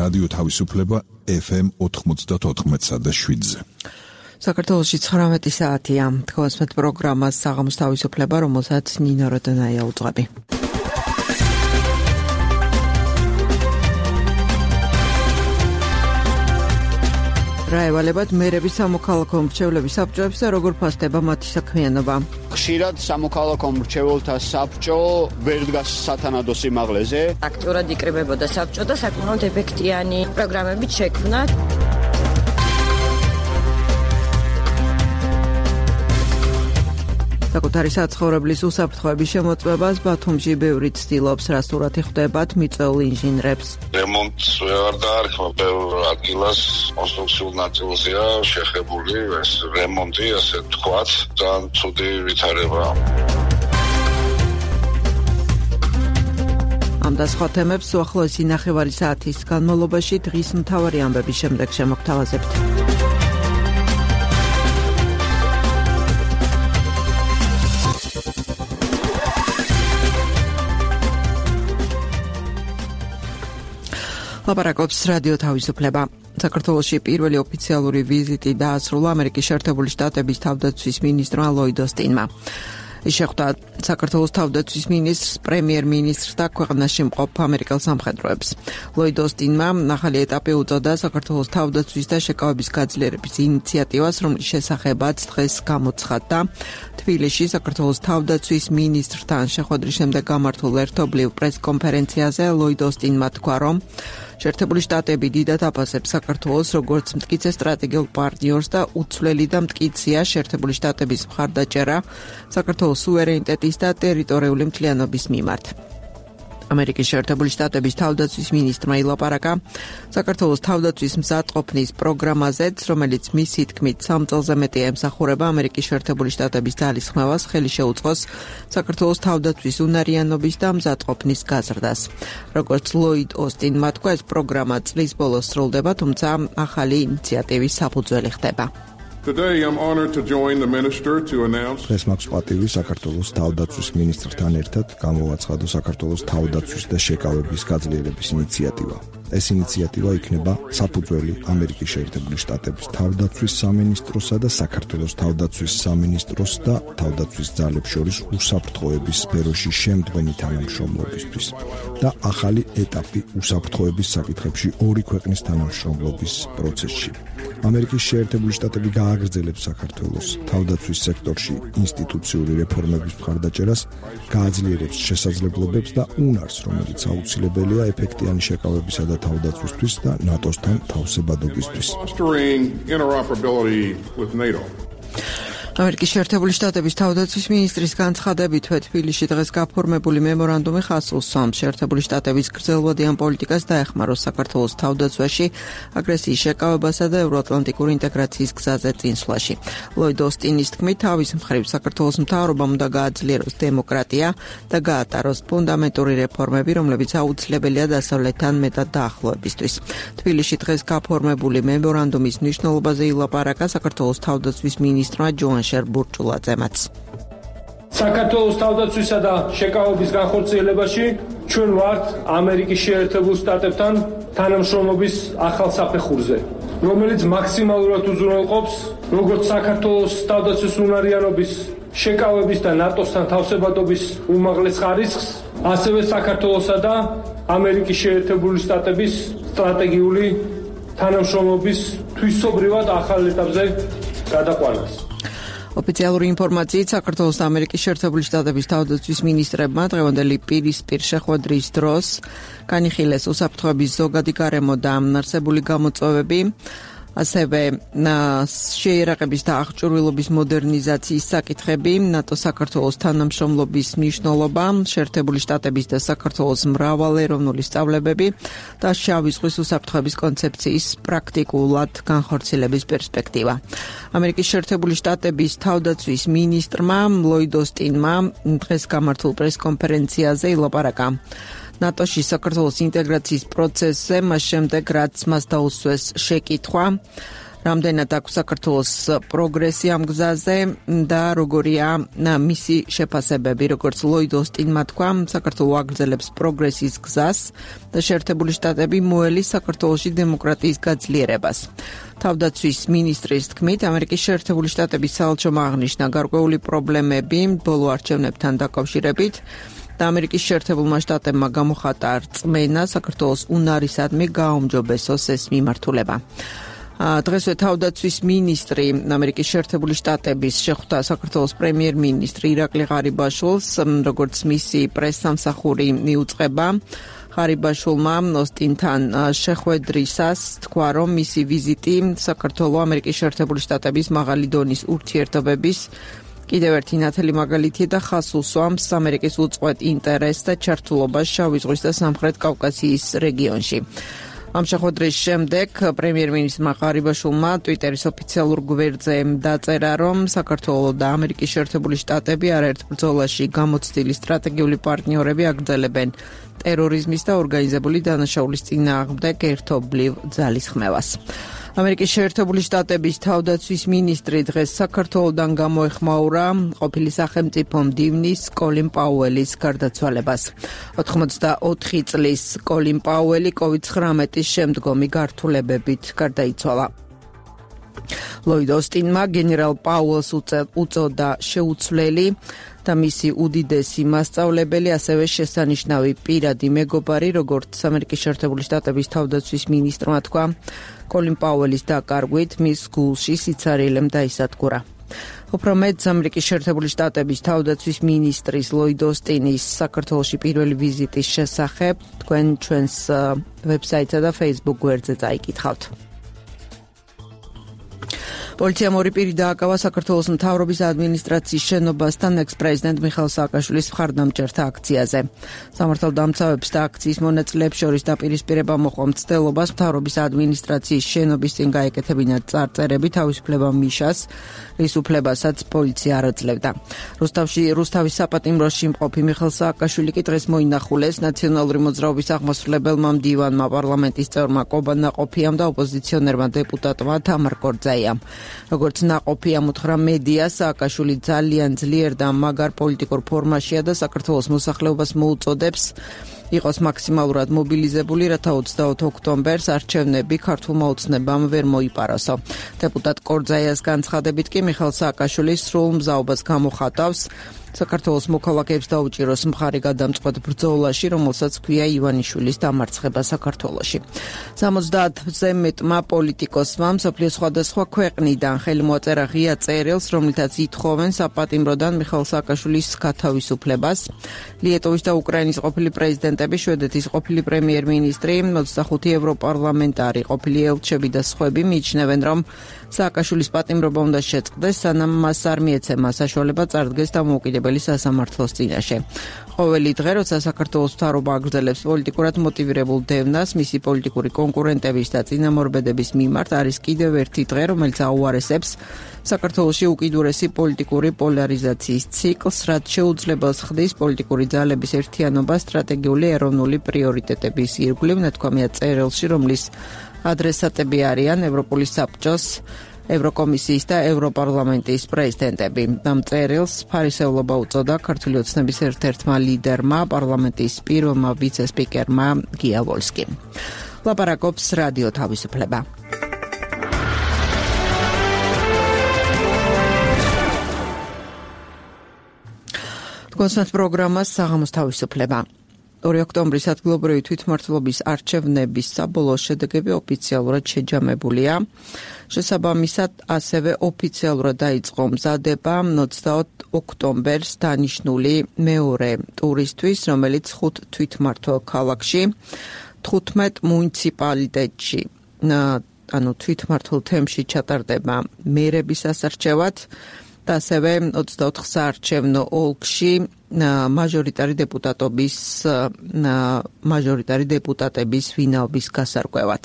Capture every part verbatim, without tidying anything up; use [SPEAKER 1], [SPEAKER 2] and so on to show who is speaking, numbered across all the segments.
[SPEAKER 1] რადიო თავისუფლება ეფ ემ ოთხმოცდაოთხ და შვიდზე.
[SPEAKER 2] საქართველოში ცხრამეტი საათია. თქვენს პროგრამას საღამოს თავისუფლება, რომელსაც ნინო როდონაია უძღვები. რა ევალებათ მერების სამოქალაქო მრჩევლების საბჭოებს და როგორ ფასდება მათი საქმიანობა?
[SPEAKER 3] ხშირად სამოქალაქო მრჩეველთა საბჭო ვერ დგას სათანადო სიმაღლეზე.
[SPEAKER 4] აქტიურად იკრიბებოდა საბჭო და საკმაოდ ეფექტიანი პროგრამებით შექმნა.
[SPEAKER 2] საკუთარი საცხოვრებლის უსაფრთხოების შემოწმებას ბათუმში ბევრი ცდილობს, რა სურათი ხვდებათ მიწვეულ ინჟინრებს.
[SPEAKER 5] რემონტს ვეღარ დაარქმევ, ბევრ ადგილას კონსტრუქციულ ნაწილზეა შეხებული ეს რემონტი, ასე ვთქვათ, ძალიან ცუდი ვითარებაა.
[SPEAKER 2] ამ და სხვა თემებს უახლოესი ნახევარი საათის განმავლობაში დღის მთავარი ამბების შემდეგ შემოგთავაზებთ. ლაპარაკობს რადიო თავისუფლება. საქართველოში პირველი ოფიციალური ვიზიტი დაასრულა ამერიკის შეერთებული შტატების თავდაცვის მინისტრმა ლოიდ ოსტინმა. ის შეხვდა საქართველოს თავდაცვის მინისტრს, პრემიერ-მინისტრს და ქვეყანაში მყოფ ამერიკელ სამხედროებს. ლოიდ ოსტინმა ახალი ეტაპი უწოდა საქართველოს თავდაცვის და შეკავების გაძლიერების ინიციატივას, რომლის შესახებაც დღეს გამოცხადდა თბილისში საქართველოს თავდაცვის მინისტრთან შეხვედრის შემდეგ გამართულ ერთობლივ პრესკონფერენციაზე. ლოიდ ოსტინმა თქვა, რომ შეერთებული შტატები დიდად აფასებს საქართველოს როგორც მტკიცე სტრატეგიულ პარტნიორს და უცვლელი და მტკიცეა შეერთებული შტატების მხარდაჭერა საქართველოს სუვერენიტეტის და ტერიტორიული მთლიანობის მიმართ. ამერიკის შეერთებული შტატების თავდაცვის მინისტრმა ილაპარაკა საქართველოს თავდაცვის მზადყოფნის პროგრამაზეც, რომელიც მისი თქმით სამ წელზე მეტია ემსახურება ამერიკის შეერთებული შტატების ძალისხმევას, ხელი შეუწყოს საქართველოს თავდაცვის უნარიანობის და მზადყოფნის გაზრდას. როგორც ლოიდ ოსტინმა თქვა, ეს პროგრამა წლის ბოლოს სრულდება, თუმცა ახალი ინიციატივის საფუძველი ხდება.
[SPEAKER 6] Today I'm honored to join the minister to announce
[SPEAKER 7] დღეს მაქვს პატივი საქართველოს თავდაცვის მინისტრთან ერთად გამოვაცხადო საქართველოს თავდაცვის და შეკავების გაძლიერების ინიციატივა. ეს ინიციატივა იქნება საფუძველი ამერიკის შეერთებული შტატების თავდაცვის სამინისტროსა და საქართველოს თავდაცვის სამინისტროს და თავდაცვის ძალებს შორის უსაფრთხოების სფეროში შემდგომი თანამშრომლობისთვის და ახალი ეტაპი უსაფრთხოების საკითხებში ორი ქვეყნის თანამშრომლობის პროცესში. ამერიკის შეერთებული შტატები გააგრძელებს საქართველოს თავდაცვის სექტორში ინსტიტუციური რეფორმების მხარდაჭერას, გააძლიერებს შესაძლებლობებს და უნარს, რომელიც აუცილებელია ეფექტიანი შეკავებისა და თავდაცვისთვის და ნატოსთან თავსებადობისთვის.
[SPEAKER 2] ამერიკის შეერთებული შტატების თავდაცვის მინისტრის განცხადებით, თბილისში დღეს გაფორმებული მემორანდუმი ხაზს უსვამს შეერთებული შტატების გრძელვადიან პოლიტიკას დაეხმაროს საქართველოს თავდაცვაში, აგრესიის შეკავებასა და ევროატლანტიკური ინტეგრაციის გზაზე წინსვლაში. ლოიდ ოსტინის თქმით, თავის მხრივ საქართველოს მთავრობამ უნდა გააძლიეროს დემოკრატია და გაატაროს ფუნდამენტური რეფორმები, რომლებიც აუცილებელია დასავლეთთან მეტად დაახლოებისთვის. თბილისში დღეს გაფორმებული მემორანდუმის მნიშვნელობაზე ილაპარაკა საქართველოს თავდაცვის მინისტრმა ჯოან შერბურჭულაძემაც.
[SPEAKER 8] საქართველოს თავდაცვისა და შეკავების განხორციელებაში ჩვენ ვართ ამერიკის შეერთებულ შტატებთან თანამშრომლობის ახალ საფეხურზე, რომელიც მაქსიმალურად უზრუნველყოფს როგორც საქართველოს თავდაცვის უნარიანობის შეკავების და ნატოსთან თავსებადობის უმაღლეს ხარისხს, ასევე საქართველოსა და ამერიკის შეერთებული შტატების სტრატეგიული თანამშრომლობის თვისობრივად ახალ ეტაპზე გადაყვანას.
[SPEAKER 2] ოფიციალური ინფორმაციით საქართველოს და ამერიკის შეერთებული შტატების თავდაცვის მინისტრებმა დღევანდელი პირისპირ შეხვედრის დროს განიხილეს უსაფრთხოების ზოგადი გარემო და არსებული გამოწვევები, ასევე შეიარაღების და აღჭურვილობის მოდერნიზაციის საკითხები, ნატო საქართველოს თანამშრომლობის მნიშვნელობა, შეერთებული შტატების და საქართველოს მრავალეროვნული სწავლებები და შავი ზღვის უსაფრთხოების კონცეფციის პრაქტიკულად განხორციელების პერსპექტივა. ამერიკის შეერთებული შტატების თავდაცვის მინისტრმა ლოიდ ოსტინმა დღეს გამართულ პრესკონფერენციაზე ილაპარაკა ნატოში საქართველოს ინტეგრაციის პროცესზე, მას შემდეგ რაც მას დაუსვეს შეკითხვა, რამდენად აქვს საქართველოს პროგრესი ამ გზაზე და როგორია მისი შეფასებები, როგორც ლოიდ ოსტინმა თქვა, საქართველო აგრძელებს პროგრესის გზას და შეერთებული შტატები მოელის საქართველოში დემოკრატიის გაძლიერებას. თავდაცვის მინისტრის თქმით, ამერიკის შეერთებული შტატების საელჩომ აღნიშნა გარკვეული პრობლემები ბოლო არჩევნებთან დაკავშირებით და ამერიკის შეერთებულმა შტატებმა გამოხატა რწმენა საქართველოს უნარისადმი გააუმჯობესოს ეს მიმართულება. დღესვე თავდაცვის მინისტრი ამერიკის შეერთებული შტატების შეხვდა საქართველოს პრემიერ-მინისტრი ირაკლი ღარიბაშვილს, როგორც მისი პრესსამსახური მიუძღვება. ღარიბაშვილმა ოსტინთან შეხვედრისას თქვა, რომ მისი ვიზიტი საქართველოს ამერიკის შეერთებული შტატების მაღალი დონის ურთიერთობების კიდევ ერთი ნათელი მაგალითია და ხაზს უსვამს ამერიკის უწყვეტ ინტერესს და ჩართულობას შავი ზღვის და სამხრეთ კავკასიის რეგიონში. ამ შეხვედრის შემდეგ პრემიერ-მინისტრმა ღარიბაშვილმა ტვიტერის ოფიციალურ გვერდზე დაწერა, რომ საქართველო და ამერიკის შეერთებული შტატები არაერთ ბრძოლაში გამოცდილი სტრატეგიული პარტნიორები აგრძელებენ ტერორიზმის და ორგანიზებული დანაშაულის წინააღმდეგ ერთობლივ ძალისხმევას. ამერიკის შეერთებული შტატების თავდაცვის მინისტრი დღეს საქართველოდან გამოეხმაურა ყოფილი სახელმწიფო მდივნის კოლინ პაუელის გარდაცვალებას. ოთხმოცდაოთხი წლის კოლინ პაუელი კოვიდ ცხრამეტის შემდგომი გართულებებით გარდაიცვალა. ლოიდ ოსტინმა გენერალ პაუელს უწოდა შეუცვლელი და მისი უდიდესი მასწავლებელი, ასევე შესანიშნავი პირადი მეგობარი, როგორც ამერიკის შეერთებული შტატების თავდაცვის მინისტრმა თქვა, კოლინ პაუელის დაკარგვით მის გულში სიცარიელემ დაისადგურა. უფრო მეტ, ამერიკის შეერთებული შტატების თავდაცვის მინისტრის ლოიდ ოსტინის საქართველოში პირველი ვიზიტის შესახებ თქვენ ჩვენს ვებსაიტსა და Facebook გვერდზე წაიკითხავთ. პოლიციამ ორი პირი დააკავა საქართველოს მთავრობის ადმინისტრაციის შენობასთან ექს-პრეზიდენტ მიხეილ სააკაშვილის მხარდამჭერთა აქციაზე. სამართალდამცავებს და აქციის მონაწილეებს შორის დაპირისპირება მოყვა მცდელობას მთავრობის ადმინისტრაციის შენობის წინ გაეკეთებინათ წარწერები თავისუფლება მიშას, რის უფლებასაც პოლიცია არ აძლევდა. რუსთავში რუსთავის საპატიმროში მყოფი მიხეილ სააკაშვილი კი დღეს მოინახულეს ნაციონალური მოძრაობის აღმასრულებელმა მდივანმა, პარლამენტის წევრმა კობა ნაყოფიამ და ოპოზიციონერმა დეპუტატმა თამარ კორძაიამ. როგორც ნაყოფი ამოთხრა მედია, სააკაშვილი ძალიან ძლიერ და მაგარ პოლიტიკურ ფორმაშია და საქართველოს მოსახლეობას მოუწოდებს იყოს მაქსიმალურად მობილიზებული, რათა ოცდაოთხ ოქტომბერს არჩევნები ქართულმა ოცნებამ ვერ მოიპაროსო. დეპუტატ კორძაიას განცხადებით კი მიხეილ სააკაშვილის სრულ მზაობას გამოხატავს საქართველოს მოქალაქეებს დაუჭიროს მხარი გადამწყვეტ ბრძოლაში, რომელსაც ქვია ივანიშვილის დამარცხება საქართველოში. სამოცდაათზე მეტმა პოლიტიკოსმა მსოფლიოს სხვადასხვა ქვეყნიდან ხელი მოაწერა ღია წერილს, რომლითაც ითხოვენ საპატიმროდან მიხეილ სააკაშვილის გათავისუფლებას. ლიეტოვის და უკრაინის ყოფილი პრეზიდენტები, შვედეთის ყოფილი პრემიერ-მინისტრი, ოცდახუთი ევროპარლამენტარი, ყოფილი ელჩები და სხვები მიიჩნევენ, რომ სააკაშვილის პატიმრობა უნდა შეწყდეს, სანამ მას არ მიეცემა საშუალება წარდგეს დამოუკიდებელი სასამართლოს წინაშე. ყოველი დღე, როცა საქართველოს მთავრობა აგრძელებს პოლიტიკურად მოტივირებულ დევნას მისი პოლიტიკური კონკურენტების და წინამორბედების მიმართ, არის კიდევ ერთი დღე, რომელიც აუარესებს საქართველოში უკიდურესი პოლიტიკური პოლარიზაციის ციკლს, რაც შეუძლებელს ხდის პოლიტიკური ძალების ერთიანობა სტრატეგიული ეროვნული პრიორიტეტების ირგვლივ, ნათქვამია წერილში, რომლის ადრესატები არიან ევროპული საბჭოს, ევროკომისიის და ევროპარლამენტის პრეზიდენტები. ამ წერილს ფარისევლობა უწოდა ქართული ოცნების ერთ-ერთმა ლიდერმა, პარლამენტის პირველმა ვიცე-სპიკერმა გია ვოლსკიმ. ლაპარაკობს რადიო თავისუფლება. კონსერტ პროგრამას საღამოს თავისუფლება. ორი ოქტომბრის ადგილობრივი თვითმმართველობის არჩევნების საბოლოო შედეგები ოფიციალურად შეჯამებულია. შესაბამისად, ასევე ოფიციალურად დაიწყო მზადება ოცდაოთხ ოქტომბერს დანიშნული მეორე ტურისთვის, რომელიც ხუთ თვითმმართველ ქალაქში, თხუთმეტ მუნიციპალიტეტში, ანუ თვითმმართველ თემში ჩატარდება მერების ასარჩევად და ასევე ოცდაოთხ საარჩევნო ოლქში მაჟორიტარი დეპუტატობის მაჟორიტარი დეპუტატების ვინაობის გასარკვევად.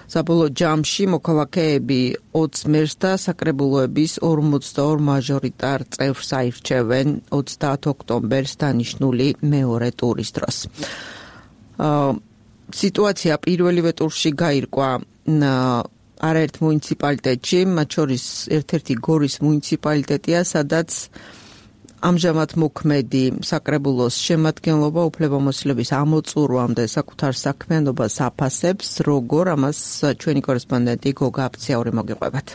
[SPEAKER 2] საბოლოო ჯამში მოქალაქეები ოცს მერს და საკრებულოების ორმოცდაორ მაჟორიტარ წევრს აირჩევენ ოცდაათ ოქტომბერს დანიშნული მეორე ტურის დროს. სიტუაცია პირველივე ტურში გაირკვა არაერთ მუნიციპალიტეტში, მათ შორის ერთ-ერთი გორის მუნიციპალიტეტია, სადაც ამჟამად მოქმედი საკრებულოს შემადგენლობა უფლებამოსილების ამოწურვამდე საკუთარ საქმიანობას აფასებს, როგორ ამას ჩვენი კორესპონდენტი გოგა აფციური მოგიყვებათ.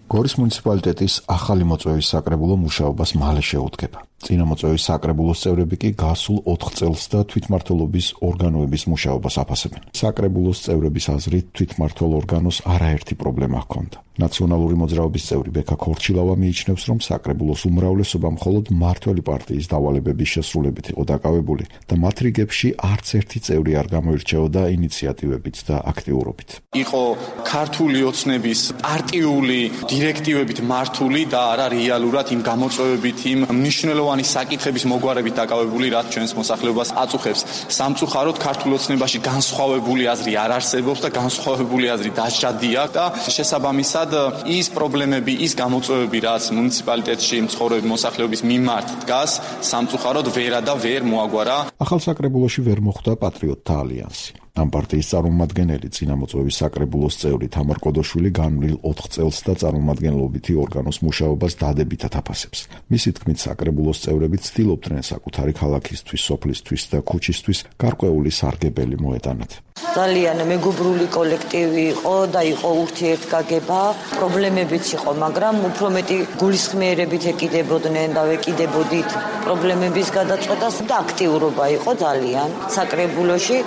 [SPEAKER 9] გორის მუნიციპალიტეტის ახალი მოწვევის საკრებულო მუშაობას მალე შეუდგება. წინა მოწვევის საკრებულოს წევრები კი გასულ ოთხ წელს და თვითმმართველობის ორგანოების მუშაობას აფასებენ. საკრებულოს წევრების აზრით თვითმმართველ ორგანოს არაერთი პრობლემა ჰქონდა. ნაციონალური მოძრაობის წევრი ბექა ქორჩილავა მიიჩნევს, რომ საკრებულოს უმრავლესობა მხოლოდ მმართველი პარტიის დავალებების შესრულებით იყო დაკავებული და მათ რიგებში არც ერთი წევრი არ გამოირჩეოდა ინიციატივებით და აქტიურობით.
[SPEAKER 10] იყო ქართული ოცნების პარტიული დირექტივებით მართული და არა რეალურად იმ გამოწვევებით, იმ მნიშვნელოვანი საკითხების მოგვარებით დაკავებული, რაც ჩვენს მოსახლეობას აწუხებს. სამწუხაროდ ქართულ ოცნებაში განსხვავებული აზრი არ არსებობს და განსხვავებული აზრი დაჭადია და შესაბამისად ის პრობლემები, ის გამოწვევები, რაც მუნიციპალიტეტში მცხოვრები მოსახლეობის მიმართ დგას, სამწუხაროდ ვერა და ვერ მოაგვარა.
[SPEAKER 9] ახალ საკრებულოში ვერ მოხვდა პატრიოტთა ალიანსი. ამ პარტიის წარმომადგენელი წინა მოწვევის საკრებულოს წევრი თამარ კოდოშვილი განვლილ ოთხ წელს და წარმომადგენლობითი ორგანოს მუშაობას დადებითად აფასებს. მისი თქმით, საკრებულოს წევრები ცდილობდნენ საკუთარი ქალაქისთვის, სოფლისთვის და ქუჩისთვის გარკვეული სარგებელი მოეტანათ.
[SPEAKER 11] ძალიან მეგობრული კოლექტივი იყო და იყო ურთიერთგაგება, პრობლემებიც იყო, მაგრამ უფრო მეტი გულისხმიერებით ეკიდებოდნენ და ვეკიდებოდით პრობლემების გადაწყვეტას და აქტიურობა იყო ძალიან საკრებულოში.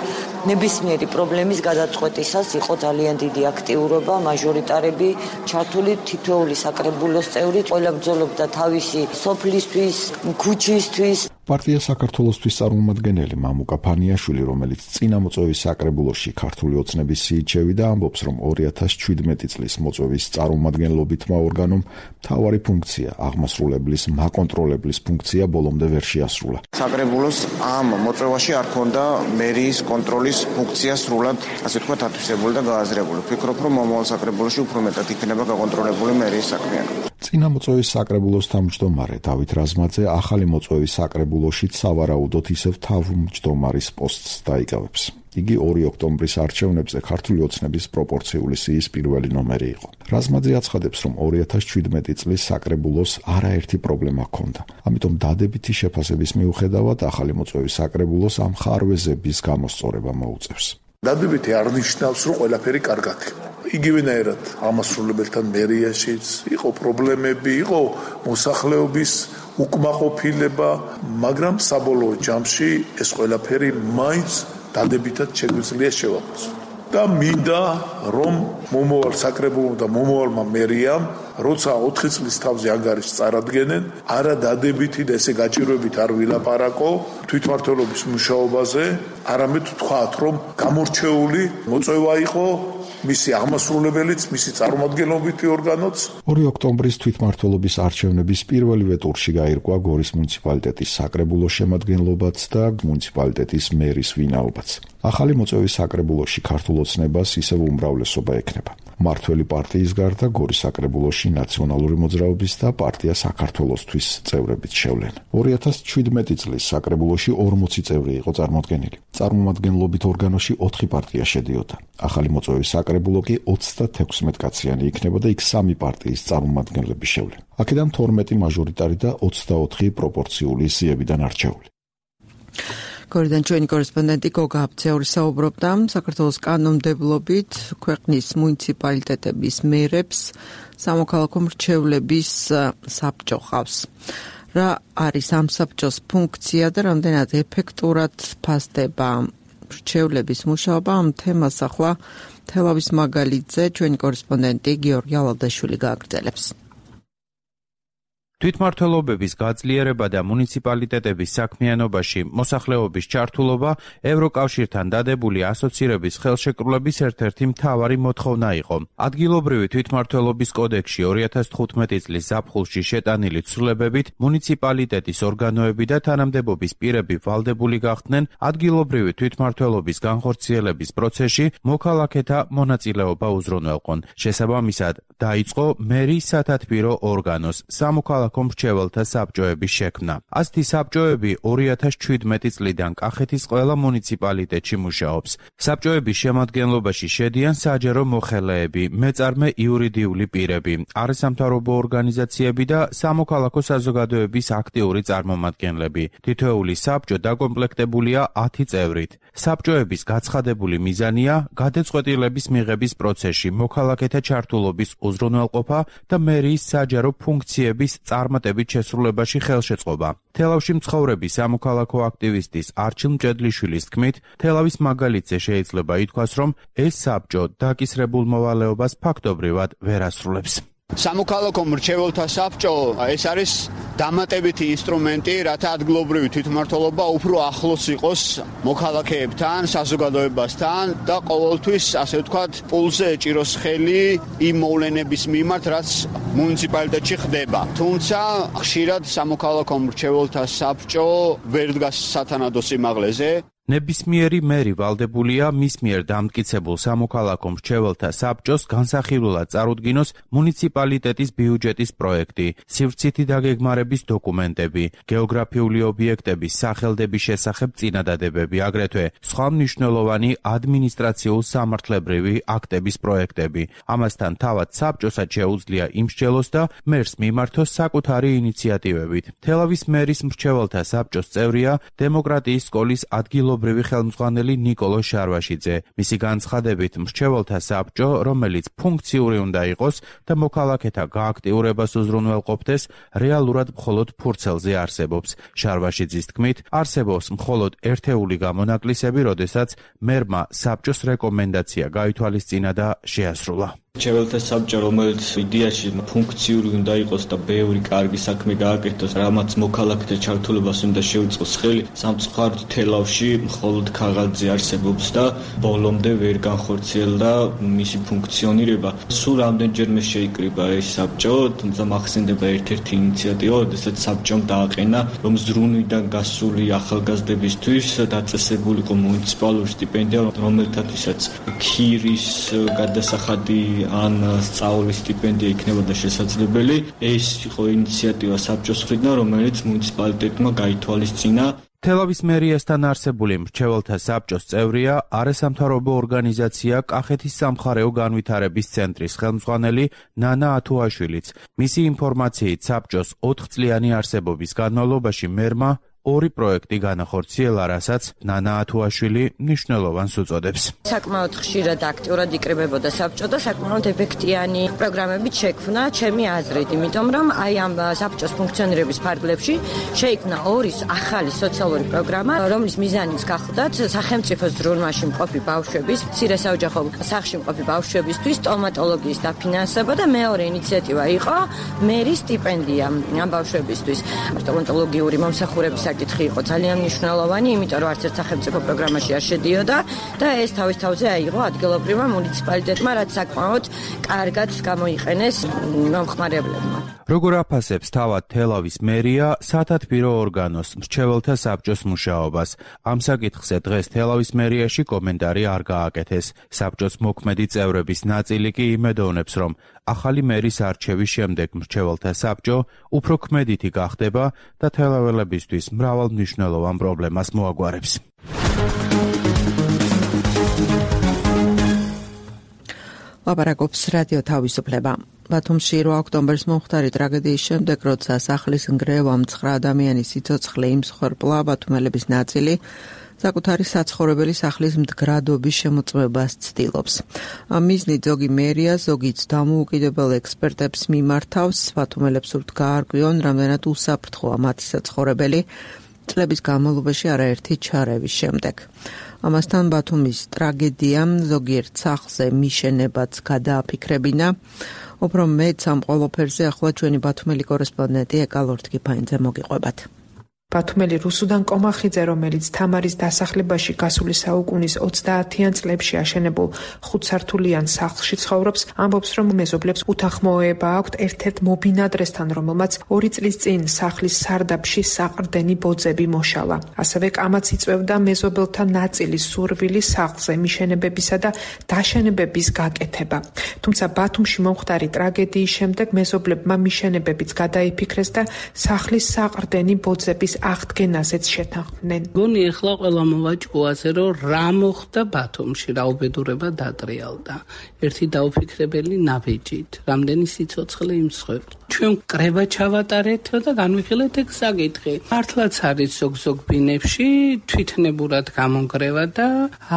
[SPEAKER 11] ნებისმიერი პრობლემის გადაწყვეტისას იყო ძალიან დიდი აქტიურობა, მაჟორიტარები ჩართული, თითოეული საკრებულოს წევრი ყველა ბრძოლობდა თავისი სოფლისთვის, ქუჩისთვის.
[SPEAKER 9] პარტია საქართველოსთვის წარმომადგენელი მამუკა ფანიაშვილი, რომელიც წინა მოწვევის საკრებულოში ქართული ოცნების სიიჩევი და ამბობს, რომ ორი ათას შვიდმეტი წლის მოწვევის წარმომადგენლობითმა ორგანომ მთავარი ფუნქცია, აღმასრულებლის, მაკონტროლებლის ფუნქცია ბოლომდე ვერ შეასრულა.
[SPEAKER 12] საკრებულოს ამ მოწვევაში არ ქონდა მერიის კონტროლის ფუნქცია სრულად, ასე ვთქვათ, ათვისებული და გააზრებული. ვფიქრობ, რომ მომავალ საკრებულოში უფრო მეტად იქნება გაკონტროლებული მერიის საქმიანობა.
[SPEAKER 9] წინა მოწვევის საკრებულოს თავმჯდომარე დავით რაზმაძე ახალი მოწვევის საკრებულოში სავარაუდოდ ისევ თავმჯდომარის პოსტს დაიკავებს. იგი ორი ოქტომბრის არჩევნებზე ქართული ოცნების პროპორციული სიის პირველი ნომერი იყო. რაზმაძე აცხადებს, რომ ორი ათას შვიდმეტი წლის საკრებულოს არაერთი პრობლემა ჰქონდა. ამიტომ დადებითი შეფასების მიუხედავად ახალი მოწვევის საკრებულოს ამ ხარვეზების გამოსწორება მოუწევს.
[SPEAKER 13] დადებითი არ ნიშნავს, რომ ყველაფერი კარგად იქნება. იგივენაირად ამასრულებელთან მერიაშიც იყო პრობლემები, იყო მოსახლეობის უკმაყოფილება, მაგრამ საბოლოო ჯამში ეს ყველაფერი მაინც დადებითად შეგვიძლია შევაფასოთ. და მინდა რომ მომავალ საკრებულომ და მომავალმა მერიამ, როცა ოთხი წლის თავზე ანგარიშს წარადგენენ, არა დადებითი და ესე გაჭირვებით არ ვილაპარაკო თვითმმართველობის მუშაობაზე, არამედ ვთქვათ, რომ გამორჩეული მოწვევა იყო მისი აღმასრულებელიც, მისი წარმომადგენლობითი ორგანოც.
[SPEAKER 9] ორი ოქტომბრის თვითმმართველობის არჩევნების პირველივე ტურში გაირკვა გორის მუნიციპალიტეტის საკრებულოს შემადგენლობაც და მუნიციპალიტეტის მერის ვინაობაც. ახალი მოწვევის საკრებულოში ქართულ ოცნებას ისევ უმრავლესობა ექნება. მმართველი პარტიის გარდა გორის საკრებულოში ნაციონალური მოძრაობის და პარტია საქართველოსთვის წევრებიც შევლენ. ორი ათას შვიდმეტი წლის საკრებულოში ორმოცი წევრი იყო წარმოდგენილი. წარმომადგენლობით ორგანოში ოთხი პარტია შედიოდა. ახალი მოწვევის საკრებულო კი ოცდათექვსმეტ კაციანი იქნება და იქ სამი პარტიის წარმომადგენლები შევლენ. აქედან თორმეტი მაჟორიტარი და ოცდაოთხი პროპორციული სიებიდან არჩეული.
[SPEAKER 2] გორიდან ჩვენი კორესპონდენტი გოგა აფციური საუბრობდა საქართველოს კანონმდებლობით ქვეყნის მუნიციპალიტეტების მერებს სამოქალაქო მრჩევლების საბჭო ყავს. რა არის ამ საბჭოს ფუნქცია და რამდენად ეფექტურად ფასდება მრჩევლების მუშაობა? ამ თემას ახლა თელავის მაგალითზე ჩვენი კორესპონდენტი გიორგი ალავდაშვილი გააგრძელებს.
[SPEAKER 14] თვითმმართველობების გაძლიერება და მუნიციპალიტეტების საქმიანობაში მოსახლეობის ჩართულობა ევროკავშირთან დადებული ასოცირების ხელშეკრულების ერთ-ერთი მთავარი მოთხოვნა იყო. ადგილობრივი თვითმმართველობის კოდექსში ორი ათას თხუთმეტი წლის ზაფხულში შეტანილი ცვლილებებით მუნიციპალიტეტის ორგანოები და თანამდებობის პირები ვალდებული გახდნენ ადგილობრივი თვითმმართველობის განხორციელების პროცესში მოქალაქეთა მონაწილეობა უზრუნველყონ. შესაბამისად, დაიწყო მერის სათათბირო ორგანოს სამოქალაქო სამოქალაქო მრჩეველთა საბჭოების შექმნა. ასეთი საბჭოები ორი ათას შვიდმეტი წლიდან კახეთის ყველა მუნიციპალიტეტში მუშაობს. საბჭოების შემადგენლობაში შედიან საჯარო მოხელეები, მეწარმე იურიდიული პირები, არასამთავრობო ორგანიზაციები და სამოქალაქო საზოგადოების აქტიური წარმომადგენლები. თითოეული საბჭო დაკომპლექტებულია ათი წევრით. საბჭოების გაცხადებული მიზანია გადაწყვეტილების მიღების პროცესში მოქალაქეთა ჩართულობის უზრუნველყოფა და მერიის საჯარო ფუნქციების წარმატებით შესრულებაში ხელშეწყობა. თელავში მცხოვრები სამოქალაქო აქტივისტის არჩილ მჭედლიშვილის თქმით, თელავის მაგალითზე შეიძლება ითქვას, რომ ეს საბჭო დაკისრებულ მოვალეობას ფაქტობრივად ვერ ასრულებს.
[SPEAKER 3] სამოქალაქო მრჩეველთა საბჭო ეს არის დამატებითი ინსტრუმენტი, რათა ადგილობრივი თვითმმართველობა უფრო ახლოს იყოს მოქალაქეებთან, საზოგადოებასთან და ყოველთვის, ასე ვთქვათ, პულზე ეჭიროს ხელი იმ მოვლენების მიმართ, რაც მუნიციპალიტეტში ხდება. თუმცა, ხშირად სამოქალაქო მრჩეველთა საბჭო ვერ დგას სათანადო სიმაღლეზე.
[SPEAKER 14] ნებისმიერი მერი ვალდებულია მის მიერ დამტკიცებულ სამოქალაქო მრჩეველთა საბჭოს განსახილველად წარუდგინოს მუნიციპალიტეტის ბიუჯეტის პროექტი, სივრცითი დაგეგმარების დოკუმენტები, გეოგრაფიული ობიექტების სახელდების შესახებ წინადადებები, აგრეთვე სხვა მნიშვნელოვანი ადმინისტრაციულ-სამართლებრივი აქტების პროექტები. ამასთან თავად საბჭოსაც შეუძლია იმსჯელოს და მერს მიმართოს საკუთარი ინიციატივებით. თელავის მერის მრჩეველთა საბჭოს წევრია დემოკრატიის სკოლის ადგილობრივი ობრივი ხელმძღვანელი ნიკოლო შარვაშიძე. მისი განცხადებით, მრჩეველთა საბჭო, რომელიც ფუნქციური უნდა იყოს და მოქალაქეთა გააქტიურებას უზრუნველყოფდეს, რეალურად მხოლოდ ფურცელზე არსებობს. შარვაშიძის თქმით, არსებობს მხოლოდ ერთეული გამონაკლისები, როდესაც მერმა საბჭოს რეკომენდაცია გაითვალისწინა და შეასრულა.
[SPEAKER 15] მრჩეველთა საბჭო, რომელიც იდეაში ფუნქციური უნდა იყოს და ბევრი კარგი საქმე გააკეთოს, რამაც მოქალაქეთა ჩართულობას უნდა შეუწყოს ხელი, სამწუხაროდ თელავში მხოლოდ ქაღალდზე არსებობს და ბოლომდე ვერ განხორციელდა მისი ფუნქციონირება. სულ რამდენჯერმე შეიკრიბა ეს საბჭო, თუმცა მახსენდება ერთ-ერთი ინიციატივა, როდესაც საბჭომ დააყენა, რომ ზრუნვიდან გასული ახალგაზრდებისთვის დაწესებული იყო მუნიციპალური სტიპენდია, რომელთათვისაც ქირის გადასახადი ან სწავლის სტიპენდია იქნებოდა შესაძლებელი. ეს იყო ინიციატივა საბჭოს მხრიდან, რომელიც მუნიციპალიტეტმა გაითვალისწინა.
[SPEAKER 14] თელავის მერიასთან არსებული მრჩეველთა საბჭოს წევრია არასამთავრობო ორგანიზაცია კახეთის სამხარეო განვითარების ცენტრის ხელმძღვანელი ნანა ათუაშვილიც. მისი ინფორმაციით საბჭოს ოთხწლიანი არსებობის განმავლობაში მერმა ორი პროექტი განახორციელა, რასაც ნანა ათუაშვილი მნიშვნელოვანს უწოდებს.
[SPEAKER 4] საკმაოდ ხშირად აქტიურად იკრიბებოდა საბჭო და საკმაოდ ეფექტიანი პროგრამებით შექმნა ჩემი აზრით, იმიტომ რომ აი ამ საბჭოს ფუნქციონირების ფარგლებში შეიქმნა ორი ახალი სოციალური პროგრამა, რომლის მიზანიც გახლდათ სახელმწიფოს ზრუნვაში მყოფი ბავშვების, მცირე საოჯახო სახლში მყოფი ბავშვებისთვის სტომატოლოგიის დაფინანსება და მეორე ინიციატივა იყო მერის სტიპენდია ამ ბავშვებისთვის. სტომატოლოგიური მომსახურების საკითხი იყო ძალიან მნიშვნელოვანი, იმიტომ რომ არც ერთ სახელმწიფო პროგრამაში არ შედიოდა და ეს თავის თავზე აიღო ადგილობრივმა მუნიციპალიტეტმა, რაც საკმაოდ კარგად გამოიყენეს მომხმარებლებმა.
[SPEAKER 14] როგორ აფასებს თავად თელავის მერია სათათბირო ორგანოს მრჩეველთა საბჭოს მუშაობას? ამ საკითხზე დღეს თელავის მერიაში კომენტარი არ გააკეთეს. საბჭოს მოქმედი წევრების ნაწილი კი იმედოვნებს, რომ ახალი მერის არჩევის შემდეგ მრჩეველთა საბჭო უფრო ქმედითი გახდება და თელაველებისთვის მრავალ მნიშვნელოვან პრობლემას მოაგვარებს.
[SPEAKER 2] ლაპარაკობს რადიო თავისუფლება. ბათუმში რვა ოქტომბრის მომხდარი ტრაგედიის შემდეგ, როცა სახლის ნგრევამ ცხრა ადამიანის სიცოცხლე იმსხვერპლა, ბათუმელების ნაწილი საკუთარი საცხოვრებელი სახლის მდგრადობის შემოწმებას ცდილობს. ამ მიზნით ზოგი მერია, ზოგიც დამოუკიდებელ ექსპერტებს მიმართავს, ბათუმელებს სურთ გაარკვიონ, რამდენად უსაფრთხოა მათი საცხოვრებელი წლების განმავლობაში არაერთი ჩარევის შემდეგ. ამასთან ბათუმის ტრაგედიამ ზოგიერთ სახლზე მიშენებაც გადააფიქრებინა. უფრო მეც ამ ყველაფერზე ახლა ჩვენი ბათუმელი კორესპონდენტი ეკალორთ კიფაინძე მოგიყვებათ.
[SPEAKER 16] ბათუმელი რუსუდან კომახიძე, რომელიც თამარის დასახლებაში გასული საუკუნის ოცდაათიან წლებში აშენებულ ხუთსართულიან სახლში ცხოვრობს, ამბობს, რომ მეზობლებს უთანხმოება აქვთ ერთ-ერთ მობინადრესთან, რომელმაც ორი წლის წინ სახლის სარდაფში საყრდენი ბოძები მოშალა. ასევე კამაც იწვევდა მეზობელთა ნაწილის სურვილი სახლზე მიშენებებისა და დაშენებების გაკეთება. თუმცა ბათუმში მომხდარი ტრაგედიის შემდეგ მეზობლებმა მიშენებებიც გადაიფიქრეს და სახლის საყრდენი ბოძების აღდგენაზეც შეთანხმდნენ.
[SPEAKER 17] გონი ახლა ყველა მოვაჭკუაზე, რომ რა მოხდა ბათუმში, რა უბედურება დატრიალდა. ერთი დაუფიქრებელი ნაბეჯით, რამდენი სიცოცხლე იმსხვერპლ. ჩვენ კრება ჩავატარეთ და განვიხილეთ ეგ საკითხი. მართლაც არის ზოგ-ზოგ ბინებში თვითნებურად გამონგრევა და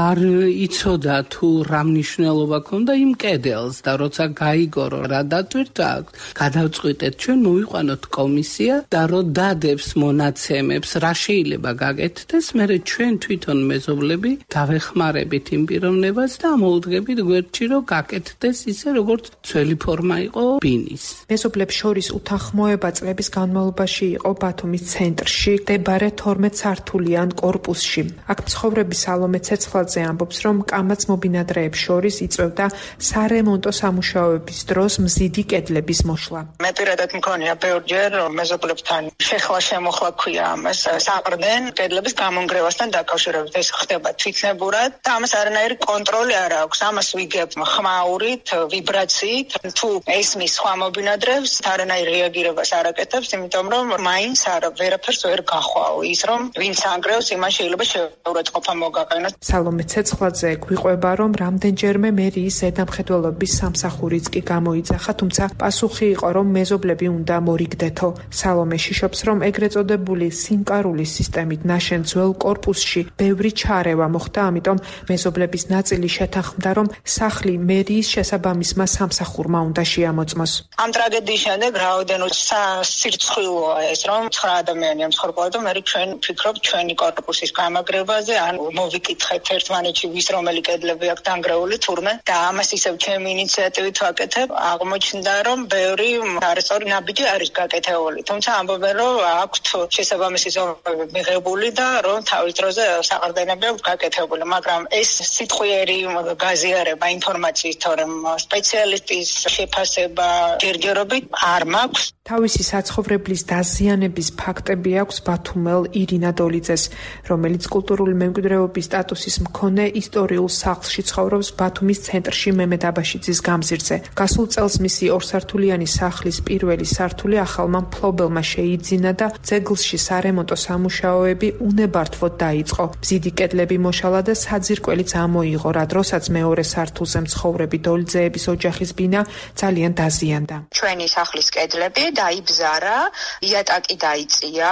[SPEAKER 17] არ იცოდა თუ რა მნიშვნელობა ქონდა იმ კედელს და როცა გაიგორო რა დატვირთვა აქვს, გადავწყვიტეთ ჩვენ მოვიყვანოთ კომისია და რო დადებს მონაცემებს რა შეიძლება გაკეთდეს, მერე ჩვენ თვითონ მეზობლები დავეხმარებით იმ პიროვნებას და მოვუდგებით გვერდში რომ გაკეთდეს ისე როგორც ძველი ფორმა იყო ბინის.
[SPEAKER 16] მეზობლებს შორის უთანხმოება წლების განმავლობაში იყო ბათუმის ცენტრში მდებარე თორმეტსართულიან კორპუსში. აქ მცხოვრები სალომე ცეცხლაძე ამბობს, რომ კამაც მობინადრეებს შორის იწვევდა სარემონტო სამუშაოების დროს მზიდი კედლების მოშლა.
[SPEAKER 18] მე პირადად მქონია ბევრჯერ მეზობლებთან შეხლა შემოხლა ქვია ამას საყრდენ კედლების გამონგრევასთან დაკავშირებით. ეს ხდება თვითნებურად და ამას არანაირი კონტროლი არ აქვს. ამას ვიგებ ხმაურით, ვიბრაციით. თუ ესმის სხვა მობინადრეებს არანაირ რეაგირებას არ აკეთებს, იმიტომ რომ მაინც არ ვერაფერს ვერ გახვაო. ის რომ ვინც ანგრევს, იმან შეიძლება შეურაცხყოფა მოგაყენოს.
[SPEAKER 16] სალომე ცეცხლაძე გვიყვება, რომ რამდენჯერმე მერიის ზედამხედველობის სამსახურიც კი გამოიძახა, თუმცა პასუხი იყო, რომ მეზობლები უნდა მორიგდეთო. სალომე შიშობს, რომ ეგრეთ წოდებული სიმკარულის სისტემით ნაშენ ძველ კორპუსში ბევრი ჩარევა მოხდა, ამიტომ მეზობლების ნაწილი შეთანხმდა, რომ სახლი მერიის შესაბამისმა სამსახურმა უნდა შეამოწმოს.
[SPEAKER 18] ამ ტრაგედიის შემდეგ რაოდენო სასირცხვილოა ეს, რომ ცხრა ადამიანი ამცხოვრებოდა და მე ჩვენ ვფიქრობ ჩვენი კორპუსის გამაგრებაზე, ან მოვიკითხეთ ერთმანეთში ვის რომელი კედლები აქვს დანგრეული თურმე და ამას ისევ ჩემი ინიციატივით ვაკეთებ. აღმოჩნდა, რომ ბევრი არასწორი ნაბიჯი არის გაკეთებული, თუმცა ამბობენ, რომ აქვთ შესაბამისი ზომები მიღებული და რომ თავის დროზე საყრდენები აქვს გაკეთებული, მაგრამ ეს სიტყვიერი გაზიარება ინფორმაციის თორემ სპეციალისტის შეფასება ჯერჯერობით არ მაქვს.
[SPEAKER 16] თავისი საცხოვრებლის დაზიანების ფაქტები აქვს ბათუმელ ირინა დოლიძეს, რომელიც კულტურული მემკვიდრეობის სტატუსის მქონე ისტორიულ სახლში ცხოვრობს ბათუმის ცენტრში მემედ აბაშიძის გამზირზე. გასულ წელს მისი ორსართულიანი სახლის პირველი სართული ახალმა მფლობელმა შეიძინა და ძეგლში სარემონტო სამუშაოები უნებართვოდ დაიწყო. მზიდი კედლები მოშალა და საძირკველიც ამოიღო, რა დროსაც მეორე სართულზე მცხოვრები დოლიძეების ოჯახის ბინა ძალიან დაზიანდა.
[SPEAKER 19] ჩვენი სახლის კედლები დაიბზარა, იატაკი დაიწია,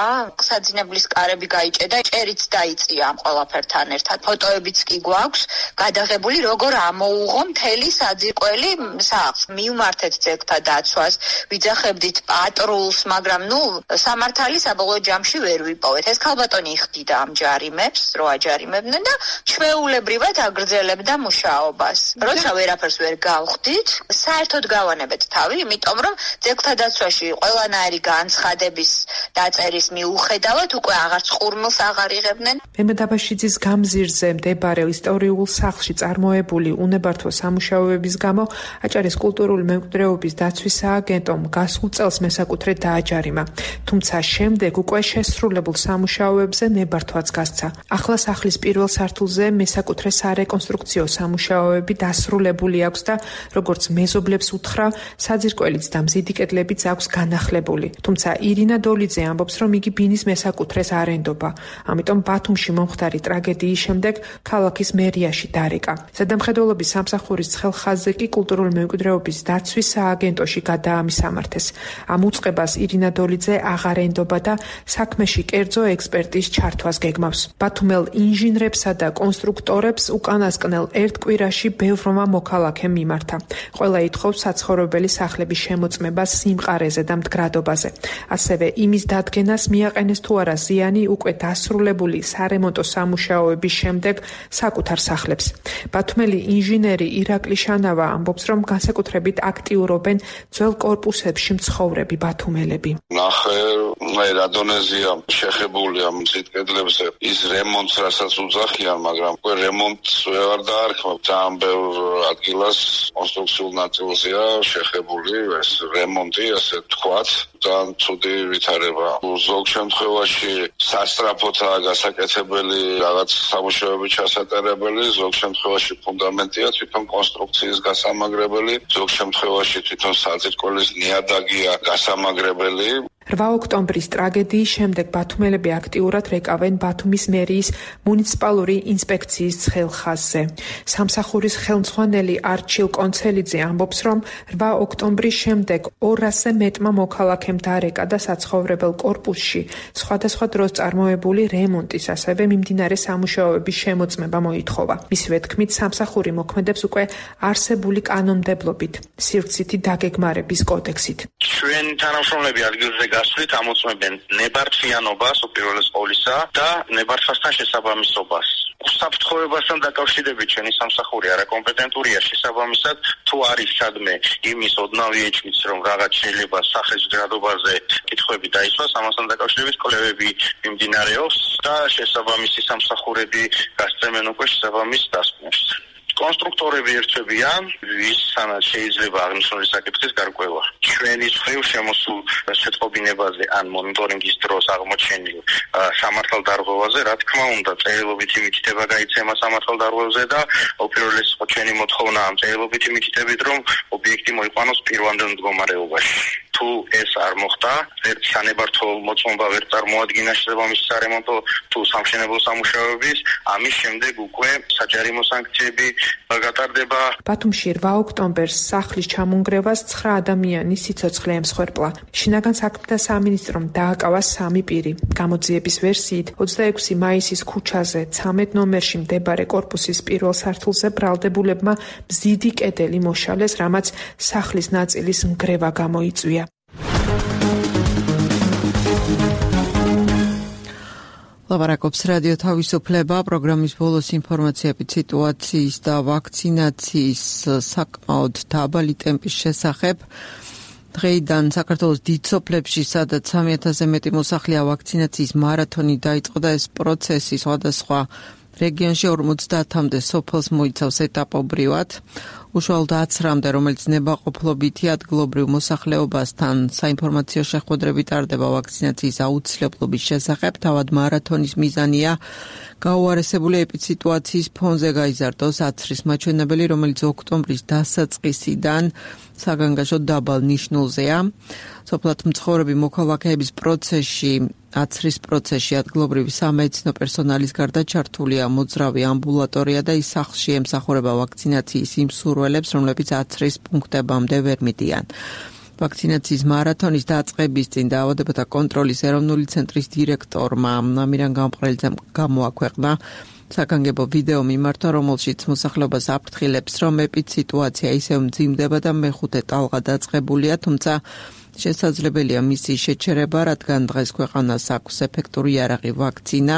[SPEAKER 19] საძინებლის კარები გაიჭედა, ჭერიც დაიწია ამ ყველაფერთან ერთად. ფოტოებიც კი გვაქვს გადაღებული, როგორ ამოუღო მთელი საძირკველი სახლს. მივმართეთ ძეგლთა დაცვას, ვიძახებდით პატრულს, მაგრამ ნუ სამართალი საბოლოო ჯამში ვერ ვიპოვეთ. ეს ქალბატონი იხდიდა ამ ჯარიმებს, რო აჯარიმებდნენ და ჩვეულებრივად აგრძელებდა მუშაობას. როცა ვერაფერს ვერ გავხდით, საერთოდ გავანებეთ თავი, იმიტომ რომ ძეგლთა დაცვაში ყველანაირი განცხადების დაწერის მიუხედავად უკვე აღარც ყურმილს აღარ იღებდნენ.
[SPEAKER 16] მემედ აბაშიძის გამზირზე მდებარე ისტორიულ სახლში წარმოებული უნებართვო სამუშაოების გამო აჭარის კულტურული მემკვიდრეობის დაცვის სააგენტომ გასულ წელს მესაკუთრე დააჯარიმა. თუმცა შემდეგ უკვე შესრულებულ სამუშაოებზე ნებართვაც გასცა. ახლა სახლის პირველ სართულზე მესაკუთრე სარეკონსტრუქციო სამუშაოები დასრულებული აქვს და როგორც მეზობლებს უთხრა, საძირკველიც და მზიდი კედლებიც აქვს განახლებული. თუმცა ირინა დოლიძე ამბობს, რომ იგი ბინის მესაკუთრეს არ ენდობა. ამიტომ ბათუმში მომხდარი ტრაგედიის შემდეგ ქალაქის მერიაში დარეკა. ზედამხედველობის სამსახურის ცხელხაზზე კი კულტურული მემკვიდრეობის დაცვის სააგენტოში გადაამისამართეს. ამ უწყებას ირინა დოლიძე აღარ ენდობა და საქმეში კერძო ექსპერტის ჩართვას გეგმავს. ბათუმელ ინჟინრებსა და კონსტრუქტორებს უკანასკნელ ერთ კვირაში ბევრმა მოქალაქემ მიმართა. ყველა ითხოვს საცხოვრებელი სახლების შემოწმებას სიმყარეზე და მდგრადობაზე. ასევე იმის დადგენას მიაყენეს თუ არა ზიანი უკვე დასრულებული სარემონტო სამუშაოების შემდეგ საკუთარ სახლებს. ბათუმელი ინჟინერი ირაკლი შანავა ამბობს, რომ განსაკუთრებით აქტიურობენ ძველ კორპუსებში მცხოვრები ბათუმელები.
[SPEAKER 5] ნახე, მე რა დონეზე ხაზია შეხებული ამ წითკედლებზე ის რემონტს რასაც უძახიან, მაგრამ უკვე რემონტს ვეღარ დაარქმევ. ძალიან ბევრ ადგილას კონსტრუქციულ ნაწილზეა შეხებული ეს რემონტი, ასე ვთქვათ. ძალიან ცუდი ვითარება. ზოგ შემთხვევაში სასწრაფოთაა გასაკეთებელი რაღაც სამუშაოები ჩასატარებელი, ზოგ შემთხვევაში ფუნდამენტია თვითონ კონსტრუქციის გასამაგრებელი, ზოგ შემთხვევაში თვითონ საძირკვლის ნიადაგია გასამაგრებელი.
[SPEAKER 16] რვა ოქტომბრის ტრაგედიის შემდეგ ბათუმელები აქტიურად რეკავენ ბათუმის მერიის მუნიციპალური ინსპექციის ცხელ ხაზზე. სამსახურის ხელმძღვანელი არჩილ კონცელიძე ამბობს, რომ რვა ოქტომბრის შემდეგ ორასზე მეტმა მოქალაქემ დარეკა და საცხოვრებელ კორპუსში სხვადასხვა დროს წარმოებული რემონტის, ასევე მიმდინარე სამუშაოების შემოწმება მოითხოვა. მისივე თქმით, სამსახური მოქმედებს უკვე არსებული კანონმდებლობით, სივრცითი დაგეგმარების კოდექსით.
[SPEAKER 20] ჩვენ თანამშრომლები ადგილზე გასვლით ამოწმებენ ნებართვიანობას უპირველეს ყოვლისა და ნებართვასთან შესაბამისობას. უსაფრთხოებასთან დაკავშირებით ჩვენი სამსახური არაკომპეტენტურია შესაბამისად, თუ არის სადმე იმის ოდნავი ეჭვიც, რომ რაღაც შეიძლება სახეს ჯადობაზე კითხვები დაისვას, ამასთან დაკავშირებით კვლევები მიმდინარეობს და შესაბამისი სამსახურები გასცემენ უკვე შესაბამის დასკვნებს. კონსტრუქტორები ერთვებიან, ვის სანად შეიძლება აღნიშნული საკითხის გარკვევა. ჩვენი მხრივ შემოსულ შეტყობინებაზე ან მონიტორინგის დროს აღმოჩენილ სამართალდარღვევაზე, რა თქმა უნდა, წერილობითი მითითება გაიცემა სამართალდარღვევაზე და უპირველეს ჩვენი მოთხოვნა ამ წერილობითი მითითებით, რომ ობიექტი მოიყვანოს პირვანდელ მდგომარეობაში. თუ ეს არ მოხდა, ერთ სანებართო მოწმობა ვერ წარმოადგინა შესაბამისი სარემონტო თუ სამშენებლო სამუშაოების, ამის შემდეგ უკვე საჯარიმო სანქციები გატარდება.
[SPEAKER 16] ბათუმში რვა ოქტომბერს სახლის ჩამონგრევას ცხრა ადამიანის სიცოცხლე ემსხვერპლა. შინაგან საქმეთა სამინისტრომ დააკავა სამი პირი. გამოძიების ვერსიით, ოცდაექვსი მაისის ქუჩაზე ცამეტ ნომერში მდებარე კორპუსის პირველ სართულზე ბრალდებულებმა მზიდი კედელი მოშალეს, რამაც სახლის ნაწილის ნგრევა გამოიწვია.
[SPEAKER 2] ლაპარაკობს რადიო თავისუფლება, პროგრამის ბოლოს ინფორმაციები სიტუაციის და ვაქცინაციის საკმაოდ დაბალი ტემპის შესახებ. დღეიდან საქართველოს დიდ სოფლებში, სადაც სამი ათასზე მეტი მოსახლეა, ვაქცინაციის მარათონი დაიწყო და ეს პროცესი სხვადასხვა რეგიონში ორმოცდაათამდე სოფელს მოიცავს ეტაპობრივად. უშუალოდ აცრამდე, რომელიც ნებაყოფლობითი ადგილობრივ მოსახლეობასთან საინფორმაციო შეხვედრები ტარდება ვაქცინაციის აუცილებლობის შესახებ. თავად მარათონის მიზანია გაუარესებული ეპიდსიტუაციის ფონზე გაიზარდოს აცრის მაჩვენებელი, რომელიც ოქტომბრის დასაწყისიდან საგანგაშო დაბალ ნიშნულზეა. სოფლად მცხოვრები მოქალაქეების პროცესში, აცრის პროცესში ადგილობრივი სამედიცინო პერსონალის გარდა ჩართულია მოძრავი ამბულატორია და ის სახლში ემსახურება ვაქცინაციის იმ მსურველებს, რომლებიც აცრის პუნქტებამდე ვერ მიდიან. ვაქცინაციის მარათონის დაწყების წინ დაავადებათა კონტროლის ეროვნული ცენტრის დირექტორმა ამირან გამყრელიძემ გამოაქვეყნა საგანგებო ვიდეო მიმართვა, რომელშიც მოსახლეობას აფრთხილებს, რომ ეპიდსიტუაცია ისევ მძიმდება და მეხუთე ტალღა დაწყებულია, თუმცა შესაძლებელია მისი შეჩერება, რადგან დღეს ქვეყანას აქვს ეფექტური იარაღი ვაქცინა,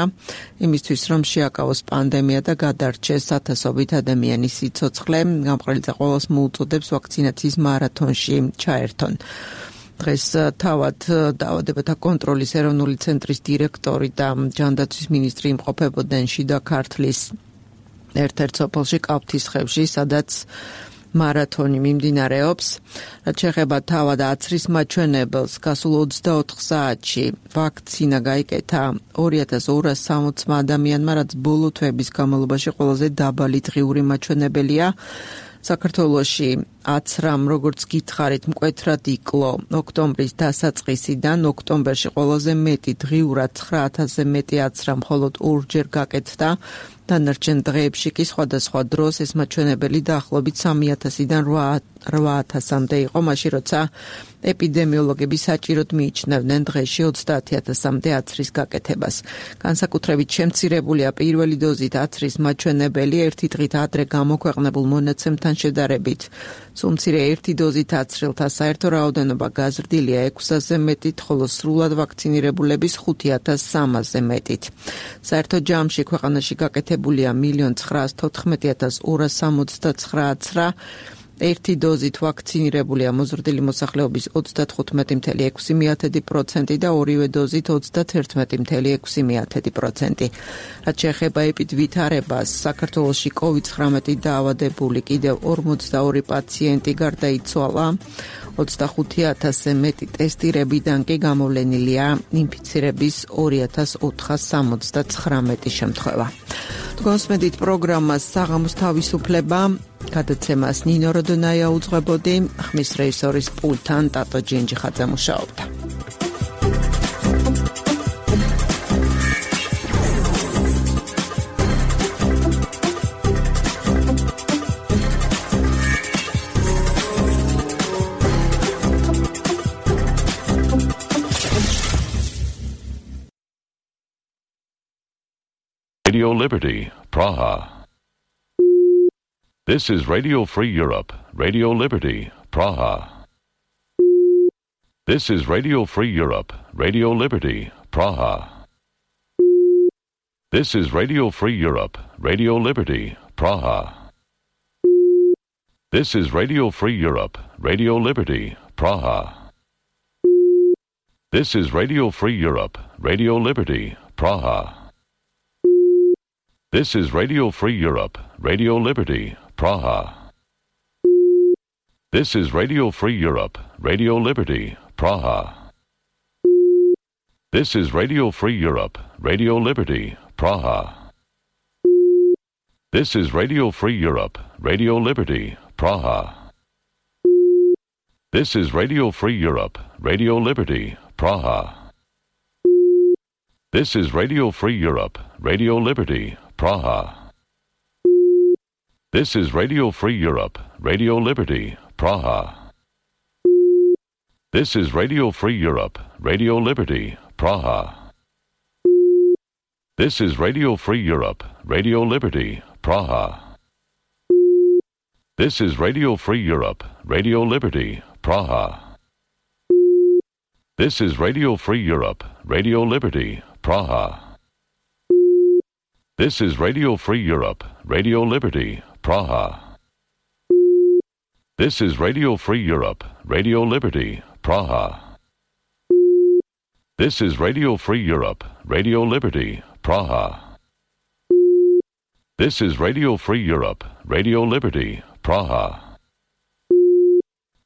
[SPEAKER 2] იმისთვის რომ შეაკავოს პანდემია და გადარჩეს ათასობით ადამიანის სიცოცხლე. გამყრელიძე ყველას მოუწოდებს ვაქცინაციის მარათონში ჩაერთონ. დღეს თავად დაავადებათა კონტროლის ეროვნული ცენტრის დირექტორი და ჯანდაცვის მინისტრი იმყოფებოდნენ შიდა ქართლის ერთ-ერთ სოფელში კავთისხევში, სადაც მარათონი მიმდინარეობს. რაც შეეხება თავად აცრის მაჩვენებელს, გასულ ოცდაოთხ საათში ვაქცინა გაიკეთა ორი ათას ორას სამოცმა ადამიანმა, რაც ბოლო თვეების განმავლობაში ყველაზე დაბალი დღიური მაჩვენებელია. საქართველოში აცრამ, როგორც გითხარით, მკვეთრად იკლო ოქტომბრის დასაწყისიდან. ოქტომბერში ყველაზე მეტი დღიურად ცხრა ათასზე მეტი აცრა მხოლოდ ორჯერ გაკეთდა. დანარჩენ დღეებში კი სხვადასხვა დროს ეს მაჩვენებელი დაახლოებით სამი ათასიდან რვა ათასამდე იყო, მაშინ როცა ეპიდემიოლოგები საჭიროდ მიიჩნევდნენ დღეში ოცდაათი ათასამდე აცრის გაკეთებას. განსაკუთრებით შემცირებულია პირველი დოზით აცრის მაჩვენებელი ერთი დღით ადრე გამოქვეყნებულ მონაცემთან შედარებით. სულ მცირე ერთი დოზით აცრილთა საერთო რაოდენობა გაზრდილია ექვსი ათასზე მეტით, ხოლო სრულად ვაქცინირებულების ხუთი ათას სამასზე მეტით. საერთო ჯამში ქვეყანაში გაკეთებულია მილიონი ცხრაას თოთხმეტი ათას ორას სამოცდაცხრა აცრა. ერთი დოზით ვაქცინირებული ამოზრდილი მოსახლეობის ოცდათხუთმეტი წუთი ექვსი პროცენტი და ორივე დოზით ოცდაათერთმეტი წუთი ექვსი პროცენტი. რაც შეეხება ეპიდვითარებას, საქართველოში კოვიდ ცხრამეტი დაავადებული კიდევ ორმოცდაორი პაციენტი გარდაიცვალა. ოცდახუთი ათასზე მეტი ტესტირებიდან კი გამოვლენილია ინფიცირების ორი ათას ოთხას სამოცდაცხრამეტი შემთხვევა. გოსმედით პროგრამას საღამოს თავისუფლება გადაცემას ნინო როდონაია უძღვებოდი, ხმის რეჟისორის პულტთან ტატო ჯინჯიხაძე მუშაობდა.
[SPEAKER 21] Radio Liberty, Praha. This is Radio Free Europe, Radio Liberty, Praha. This is Radio Free Europe, Radio Liberty, Praha. This is Radio Free Europe, Radio Liberty, Praha. This is Radio Free Europe, Radio Liberty, Praha. This is Radio Free Europe, Radio Liberty, Praha. This is Radio Free Europe, Radio Liberty, Praha. This is Radio Free Europe, Radio Liberty, Praha. This is Radio Free Europe, Radio Liberty, Praha. This is Radio Free Europe, Radio Liberty, Praha. This is Radio Free Europe, Radio Liberty, Praha. This is Radio Free Europe, Radio Liberty, Praha. This is Radio Free Europe, Radio Liberty, Praha. This is Radio Free Europe, Radio Liberty, Praha. This is Radio Free Europe, Radio Liberty, Praha. This is Radio Free Europe, Radio Liberty, Praha. This is Radio Free Europe, Radio Liberty, Praha. This is Radio Free Europe, Radio Liberty, Praha. This is Radio Free Europe, Radio Liberty, Praha. This is Radio Free Europe, Radio Liberty, Praha.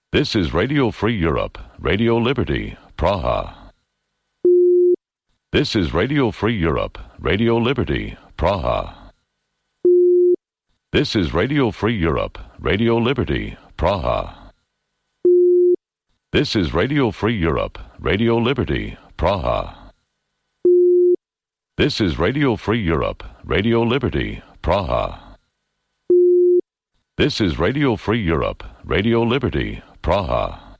[SPEAKER 21] This is Radio Free Europe, Radio Liberty, Praha. This is Radio Free Europe, Radio Liberty, Praha. This is Radio Free Europe, Radio Liberty, Praha. This is Radio Free Europe, Radio Liberty, Praha. This is Radio Free Europe, Radio Liberty, Praha. This is Radio Free Europe, Radio Liberty, Praha. This is Radio Free Europe, Radio Liberty, Praha.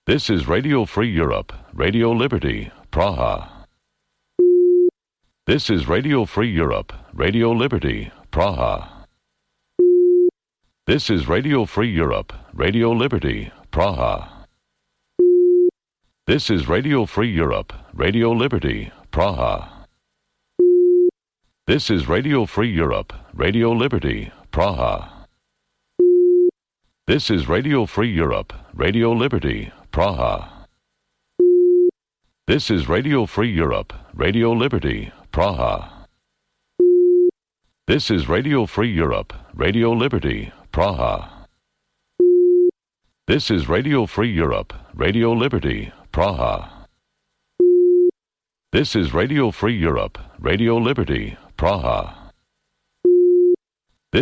[SPEAKER 21] This is Radio Free Europe, Radio Liberty, Praha. This is Radio Free Europe, Radio Liberty, Praha. This is Radio Free Europe, Radio Liberty, Praha. This is Radio Free Europe, Radio Liberty, Praha. This is Radio Free Europe, Radio Liberty, Praha. This is Radio Free Europe, Radio Liberty, Praha. This is Radio Free Europe, Radio Liberty, Praha. This is Radio Free Europe, Radio Liberty, Praha. This is Radio Free Europe, Radio Liberty, Praha. This is Radio Free Europe, Radio Liberty, Praha.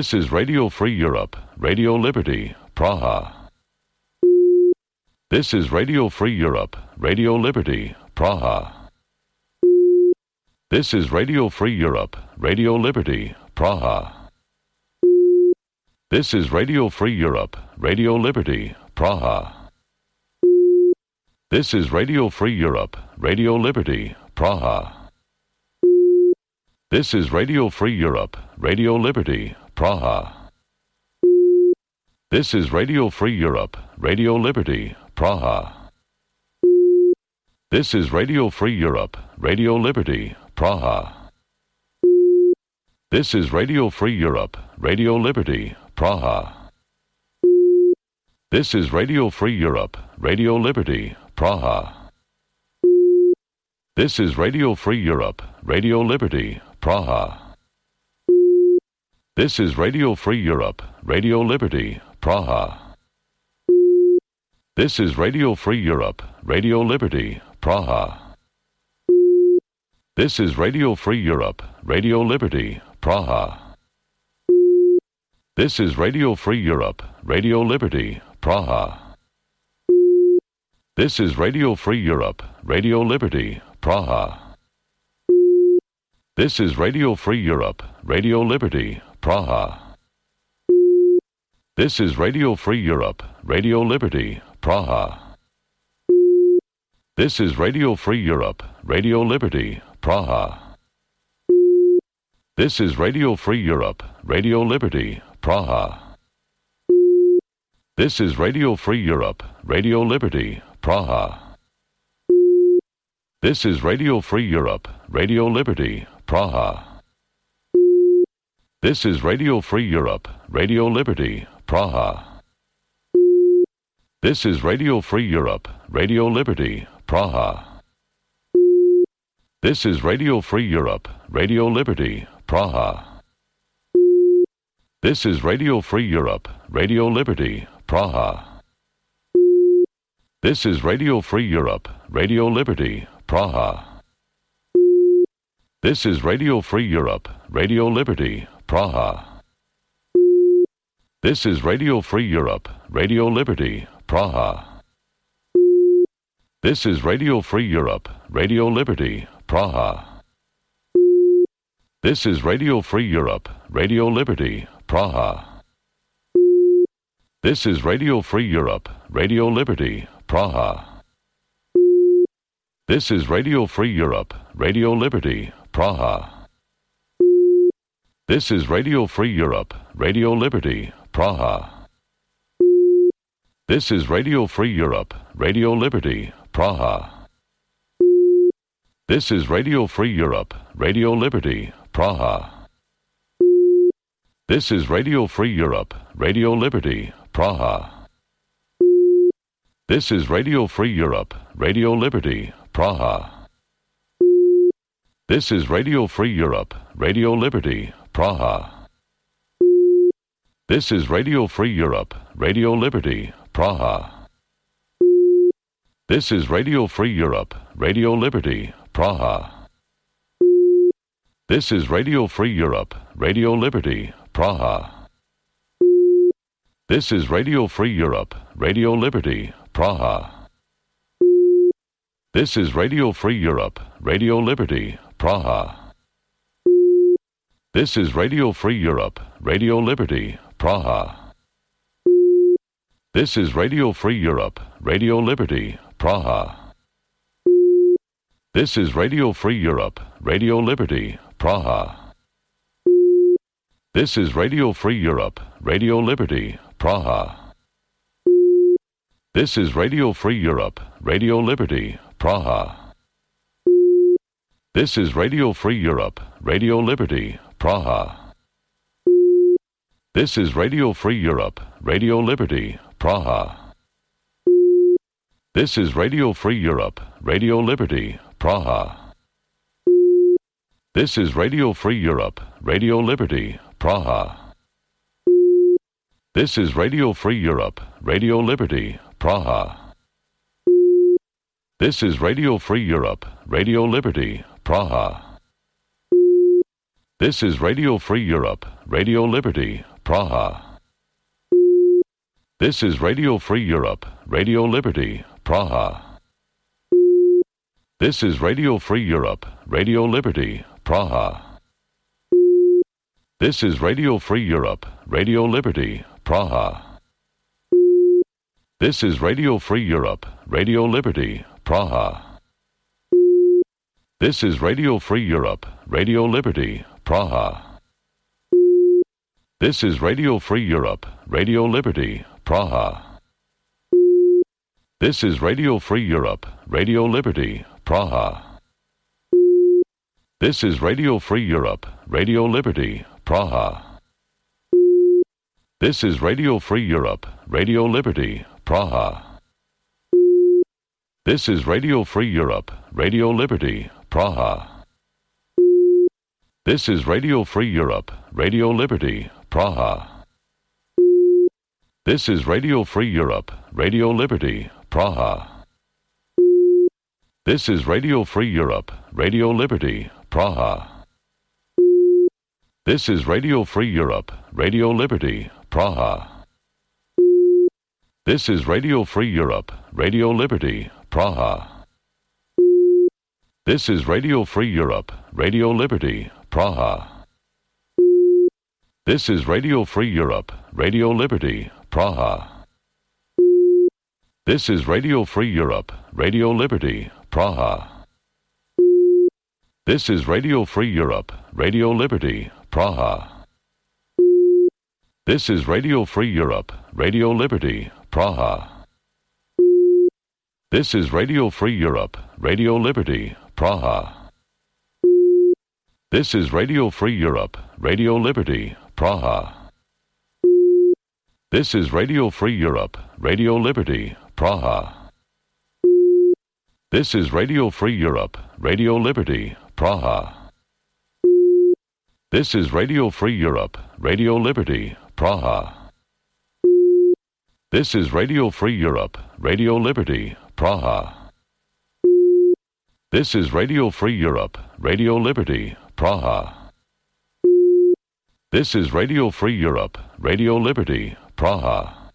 [SPEAKER 21] This is Radio Free Europe, Radio Liberty, Praha. This is Radio Free Europe, Radio Liberty, Praha. This is Radio Free Europe, Radio Liberty, Praha. This is Radio Free Europe, Radio Liberty, Praha. This is Radio Free Europe, Radio Liberty, Praha. This is Radio Free Europe, Radio Liberty, Praha. This is Radio Free Europe, Radio Liberty, Praha. This is Radio Free Europe, Radio Liberty, Praha. This is Radio Free Europe, Radio Liberty, Praha. This is Radio Free Europe, Radio Liberty, Praha. This is Radio Free Europe, Radio Liberty, Praha. This is Radio Free Europe, Radio Liberty, Praha. This is Radio Free Europe, Radio Liberty, Praha. This is Radio Free Europe, Radio Liberty, Praha. This is Radio Free Europe, Radio Liberty, Praha. This is Radio Free Europe, Radio Liberty, Praha. This is Radio Free Europe, Radio Liberty, Praha. This is Radio Free Europe, Radio Liberty, Praha. This is Radio Free Europe, Radio Liberty, Praha. This is Radio Free Europe, Radio Liberty, Praha. This is Radio Free Europe, Radio Liberty, Praha. This is Radio Free Europe, Radio Liberty, Praha. This is Radio Free Europe, Radio Liberty, Praha. This is Radio Free Europe, Radio Liberty, Praha. This is Radio Free Europe, Radio Liberty, Praha. This is Radio Free Europe, Radio Liberty, Praha. This is Radio Free Europe, Radio Liberty, Praha. This is Radio Free Europe, Radio Liberty, Praha. This is Radio Free Europe, Radio Liberty, Praha. This is Radio Free Europe, Radio Liberty, Praha. This is Radio Free Europe, Radio Liberty, Praha. This is Radio Free Europe, Radio Liberty, Praha. This is Radio Free Europe, Radio Liberty, Praha. This is Radio Free Europe, Radio Liberty, Praha. This is Radio Free Europe, Radio Liberty, Praha. This is Radio Free Europe, Radio Liberty, Praha. This is Radio Free Europe, Radio Liberty, Praha. This is Radio Free Europe, Radio Liberty, Praha. This is Radio Free Europe, Radio Liberty, Praha. This is Radio Free Europe, Radio Liberty, Praha. This is Radio Free Europe, Radio Liberty, Praha. This is Radio Free Europe, Radio Liberty, Praha. This is Radio Free Europe, Radio Liberty, Praha. This is Radio Free Europe, Radio Liberty, Praha. This is Radio Free Europe, Radio Liberty, Praha. This is Radio Free Europe, Radio Liberty, Praha. This is Radio Free Europe, Radio Liberty, Praha. This is Radio Free Europe, Radio Liberty, Praha. This is Radio Free Europe, Radio Liberty, Praha. This is Radio Free Europe, Radio Liberty, Praha. This is Radio Free Europe, Radio Liberty, Praha. This is Radio Free Europe, Radio Liberty, Praha. This is Radio Free Europe, Radio Liberty, Praha. This is Radio Free Europe, Radio Liberty, Praha. This is Radio Free Europe, Radio Liberty, Praha. This is Radio Free Europe, Radio Liberty, Praha. This is Radio Free Europe, Radio Liberty, Praha. This is Radio Free Europe, Radio Liberty, Praha. This is Radio Free Europe, Radio Liberty, Praha. This is Radio Free Europe, Radio Liberty, Praha. This is Radio Free Europe, Radio Liberty, Praha. This is Radio Free Europe, Radio Liberty, Praha. This is Radio Free Europe, Radio Liberty, Praha. This is Radio Free Europe, Radio Liberty, Praha. This is Radio Free Europe, Radio Liberty, Praha. This is Radio Free Europe, Radio Liberty, Praha. This is Radio Free Europe, Radio Liberty, Praha. This is Radio Free Europe, Radio Liberty, Praha. This is Radio Free Europe, Radio Liberty, Praha. This is Radio Free Europe, Radio Liberty, Praha. This is Radio Free Europe, Radio Liberty, Praha. This is Radio Free Europe, Radio Liberty, Praha. This is Radio Free Europe, Radio Liberty, Praha. This is Radio Free Europe, Radio Liberty, Praha. This is Radio Free Europe, Radio Liberty, Praha. This is Radio Free Europe, Radio Liberty, Praha. This is Radio Free Europe, Radio Liberty, Praha. This is Radio Free Europe, Radio Liberty, Praha. This is Radio Free Europe, Radio Liberty, Praha. This is Radio Free Europe, Radio Liberty, Praha. This is Radio Free Europe, Radio Liberty, Praha. This is Radio Free Europe, Radio Liberty, Praha. This is Radio Free Europe, Radio Liberty, Praha. This is Radio Free Europe, Radio Liberty, Praha.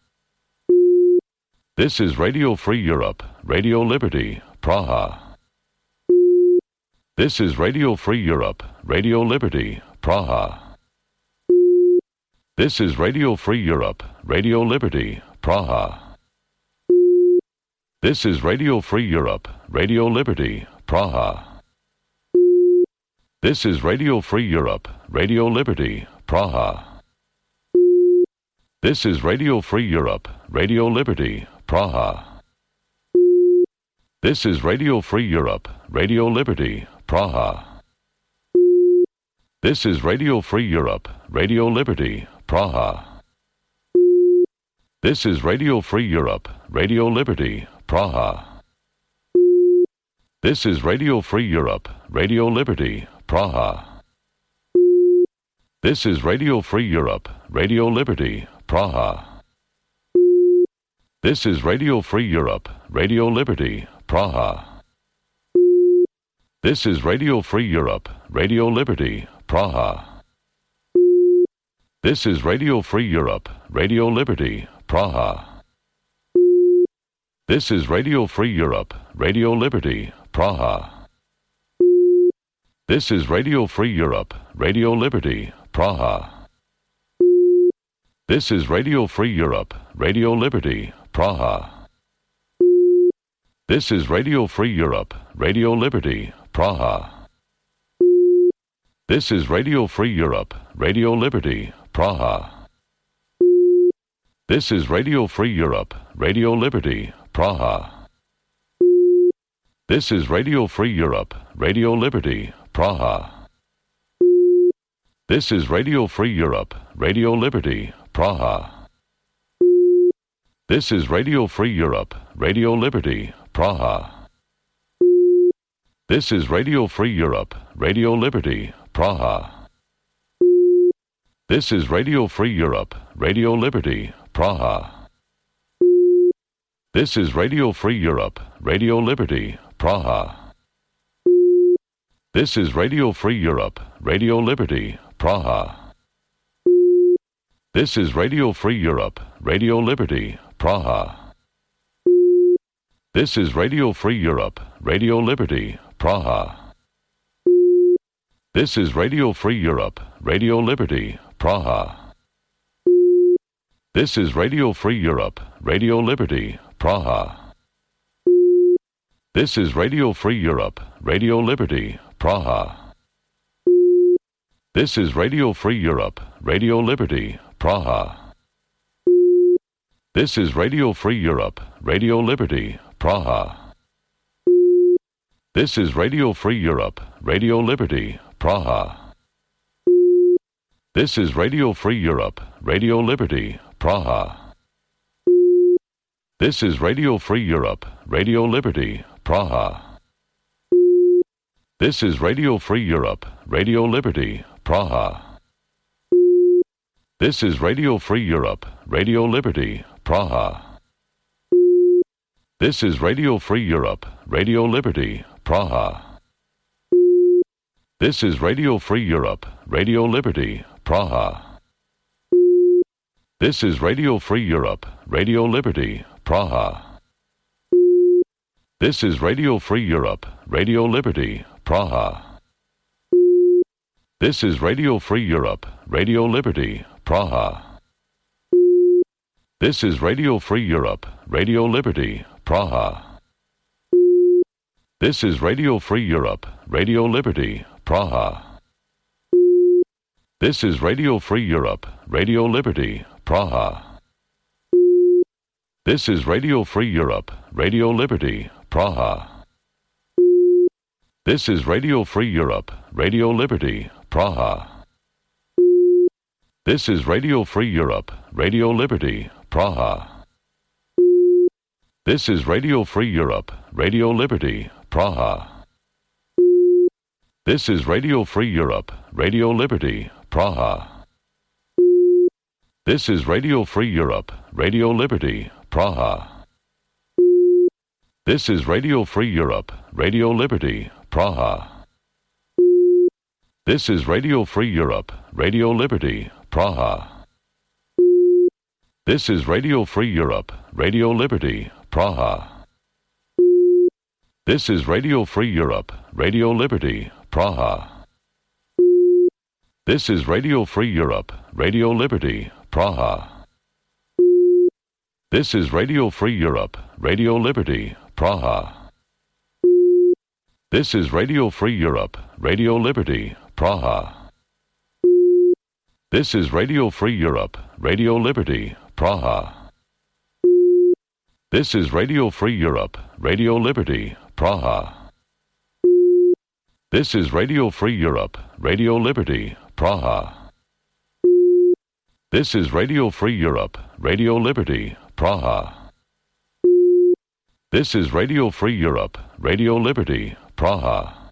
[SPEAKER 21] This is Radio Free Europe, Radio Liberty, Praha. This is Radio Free Europe, Radio Liberty, Praha. This is Radio Free Europe, Radio Liberty, Praha. This is Radio Free Europe, Radio Liberty, Praha. This is Radio Free Europe, Radio Liberty, Praha. This is Radio Free Europe, Radio Liberty, Praha. This is Radio Free Europe, Radio Liberty, Praha. This is Radio Free Europe, Radio Liberty, Praha. This is Radio Free Europe, Radio Liberty, Praha. This is Radio Free Europe, Radio Liberty, Praha. This is Radio Free Europe, Radio Liberty, Praha. This is Radio Free Europe, Radio Liberty, Praha. This is Radio Free Europe, Radio Liberty, Praha. This is Radio Free Europe, Radio Liberty, Praha. This is Radio Free Europe, Radio Liberty, Praha. This is Radio Free Europe, Radio Liberty, Praha. This is Radio Free Europe, Radio Liberty, Praha. This is Radio Free Europe, Radio Liberty, Praha. This is Radio Free Europe, Radio Liberty, Praha. This is Radio Free Europe, Radio Liberty, Praha. This is Radio Free Europe, Radio Liberty, Praha. This is Radio Free Europe, Radio Liberty, Praha. This is Radio Free Europe, Radio Liberty, Praha. This is Radio Free Europe, Radio Liberty, Praha. This is Radio Free Europe, Radio Liberty, Praha. This is Radio Free Europe, Radio Liberty, Praha. This is Radio Free Europe, Radio Liberty, Praha. This is Radio Free Europe, Radio Liberty, Praha. This is Radio Free Europe, Radio Liberty, Praha. This is Radio Free Europe, Radio Liberty, Praha. This is Radio Free Europe, Radio Liberty, Praha. This is Radio Free Europe, Radio Liberty, Praha. This is Radio Free Europe, Radio Liberty, Praha. This is Radio Free Europe, Radio Liberty, Praha. This is Radio Free Europe, Radio Liberty, Praha. This is Radio Free Europe, Radio Liberty, Praha. This is Radio Free Europe, Radio Liberty, Praha. This is Radio Free Europe, Radio Liberty, Praha. This is Radio Free Europe, Radio Liberty, Praha. This is Radio Free Europe, Radio Liberty, Praha. This is Radio Free Europe, Radio Liberty, Praha. This is Radio Free Europe, Radio Liberty, Praha. This is Radio Free Europe, Radio Liberty, Praha. This is Radio Free Europe, Radio Liberty, Praha. This is Radio Free Europe, Radio Liberty, Praha. This is Radio Free Europe, Radio Liberty, Praha. This is Radio Free Europe, Radio Liberty, Praha. This is Radio Free Europe, Radio Liberty, Praha. This is Radio Free Europe, Radio Liberty, Praha. This is Radio Free Europe, Radio Liberty, Praha. This is Radio Free Europe, Radio Liberty, Praha. This is Radio Free Europe, Radio Liberty, Praha. This is Radio Free Europe, Radio Liberty, Praha. This is Radio Free Europe, Radio Liberty, Praha. This is Radio Free Europe, Radio Liberty, Praha. This is Radio Free Europe, Radio Liberty, Praha. This is Radio Free Europe, Radio Liberty, Praha. This is Radio Free Europe, Radio Liberty, Praha. This is Radio Free Europe, Radio Liberty, Praha. This is Radio Free Europe, Radio Liberty, Praha. This is Radio Free Europe, Radio Liberty, Praha. This is Radio Free Europe, Radio Liberty, Praha. This is Radio Free Europe, Radio Liberty, Praha. This is Radio Free Europe, Radio Liberty, Praha. This is Radio Free Europe, Radio Liberty, Praha.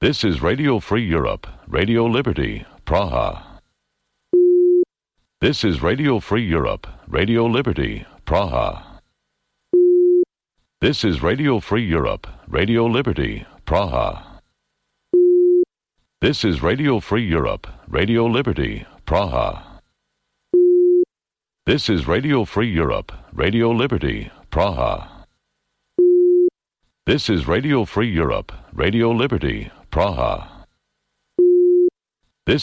[SPEAKER 21] This is Radio Free Europe, Radio Liberty, Praha. This is Radio Free Europe, Radio Liberty, Praha. This is Radio Free Europe, Radio Liberty, Praha. This is Radio Free Europe, Radio Liberty, Praha. This is Radio Free Europe, Radio Liberty, Praha. This is Radio Free Europe, Radio Liberty, Praha. This is Radio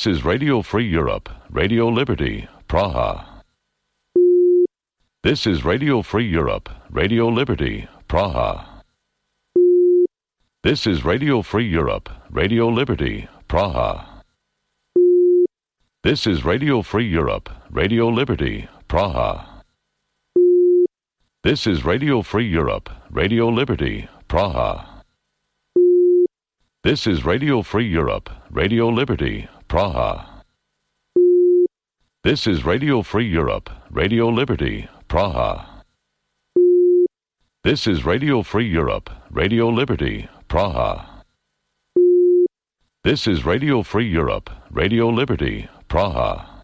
[SPEAKER 21] Free Europe, Radio Liberty, Praha. This is Radio Free Europe, Radio Liberty, Praha. This is Radio Free Europe, Radio Liberty, Praha. This is Radio Free Europe, Radio Liberty, Praha. This is Radio Free Europe, Radio Liberty, Praha. This is Radio Free Europe, Radio Liberty, Praha. This is Radio Free Europe, Radio Liberty, Praha. This is Radio Free Europe, Radio Liberty, Praha. This is Radio Free Europe, Radio Liberty, Praha.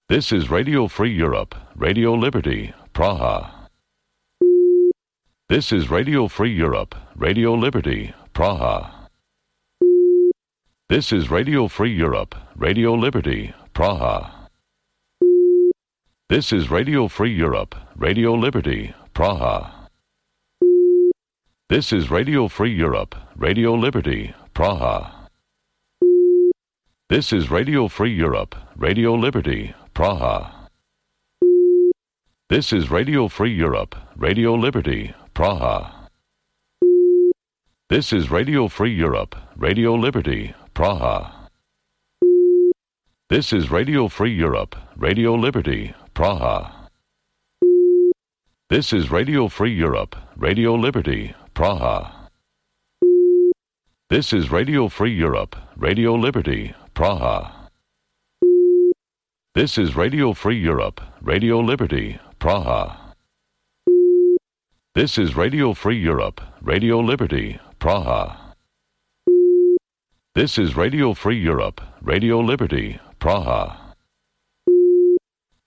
[SPEAKER 21] This is Radio Free Europe, Radio Liberty, Praha. This is Radio Free Europe, Radio Liberty, Praha. This is Radio Free Europe, Radio Liberty, Praha. This is Radio Free Europe, Radio Liberty, Praha. This is Radio Free Europe, Radio Liberty, Praha. This is Radio Free Europe, Radio Liberty, Praha. This is Radio Free Europe, Radio Liberty, Praha. This is Radio Free Europe, Radio Liberty, Praha. This is Radio Free Europe, Radio Liberty, Praha. This is Radio Free Europe, Radio Liberty, Praha. This is Radio Free Europe, Radio Liberty, Praha. This is Radio Free Europe, Radio Liberty, Praha. This is Radio Free Europe, Radio Liberty, Praha. This is Radio Free Europe, Radio Liberty, Praha.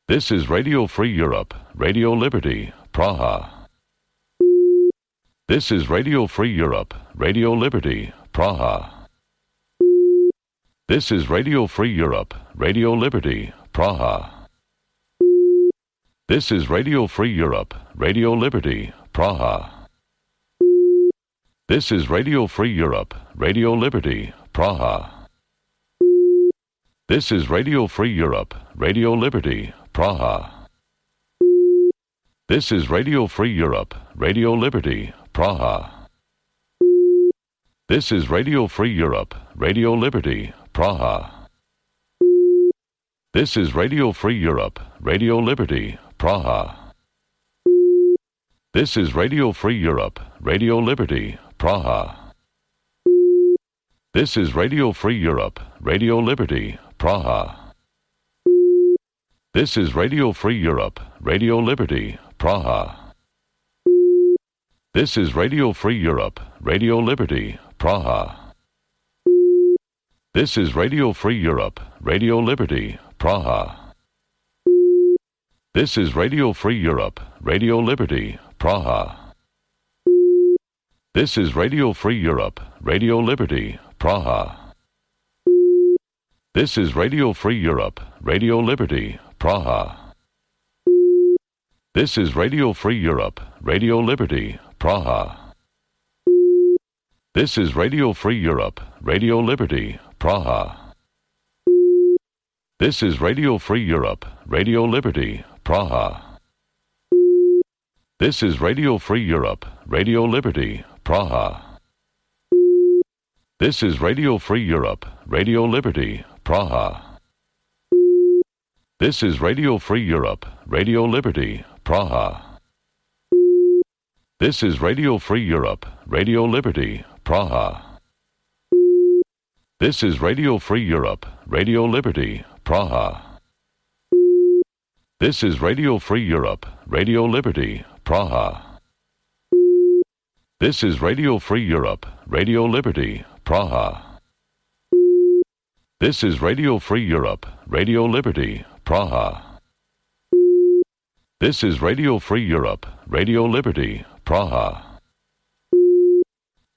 [SPEAKER 21] This is Radio Free Europe, Radio Liberty, Praha. This is Radio Free Europe, Radio Liberty, Praha. This is Radio Free Europe, Radio Liberty, Praha. This is Radio Free Europe, Radio Liberty, Praha. This is Radio Free Europe, Radio Liberty, Praha. This is Radio Free Europe, Radio Liberty, Praha. This is Radio Free Europe, Radio Liberty, Praha. This is Radio Free Europe, Radio Liberty, Praha. This is Radio Free Europe, Radio Liberty, Praha. This is Radio Free Europe, Radio Liberty, Praha. This is Radio Free Europe, Radio Liberty, Praha. This is Radio Free Europe, Radio Liberty, Praha. This is Radio Free Europe, Radio Liberty, Praha. This is Radio Free Europe, Radio Liberty, Praha. This is Radio Free Europe, Radio Liberty, Praha. This is Radio Free Europe, Radio Liberty, Praha. This is Radio Free Europe, Radio Liberty, Praha. This is Radio Free Europe, Radio Liberty, Praha. This is Radio Free Europe, Radio Liberty, Praha. This is Radio Free Europe, Radio Liberty, Praha. This is Radio Free Europe, Radio Liberty, Praha. This is Radio Free Europe, Radio Liberty, Praha. This is Radio Free Europe, Radio Liberty, Praha. This is Radio Free Europe, Radio Liberty, Praha. This is Radio Free Europe, Radio Liberty, Praha. This is Radio Free Europe, Radio Liberty, Praha. This is Radio Free Europe, Radio Liberty, Praha. This is Radio Free Europe, Radio Liberty, Praha. This is Radio Free Europe, Radio Liberty, Praha.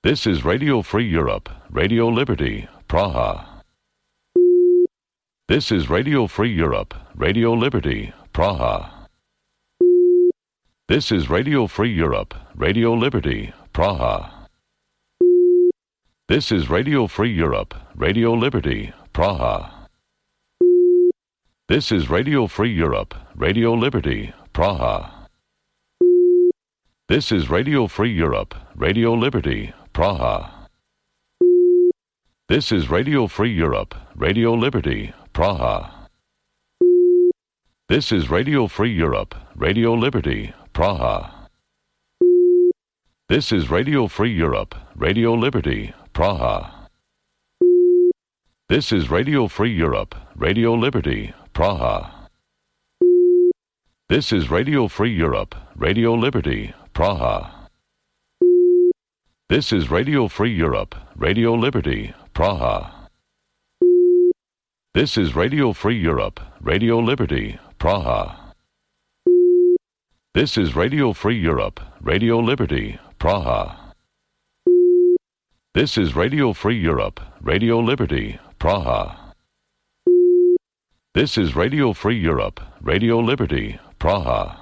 [SPEAKER 21] This is Radio Free Europe, Radio Liberty, Praha. This is Radio Free Europe, Radio Liberty, Praha. This is Radio Free Europe, Radio Liberty, Praha. This is Radio Free Europe, Radio Liberty, Praha. This is Radio Free Europe, Radio Liberty, Praha. This is Radio Free Europe, Radio Liberty, Praha. This is Radio Free Europe, Radio Liberty, Praha. This is Radio Free Europe, Radio Liberty, Praha. This is Radio Free Europe, Radio Liberty, Praha. This is Radio Free Europe, Radio Liberty, Praha. This is Radio Free Europe, Radio Liberty, Praha. This is Radio Free Europe, Radio Liberty, Praha. This is Radio Free Europe, Radio Liberty, Praha. This is Radio Free Europe, Radio Liberty, Praha. This is Radio Free Europe, Radio Liberty, Praha. This is Radio Free Europe, Radio Liberty, Praha.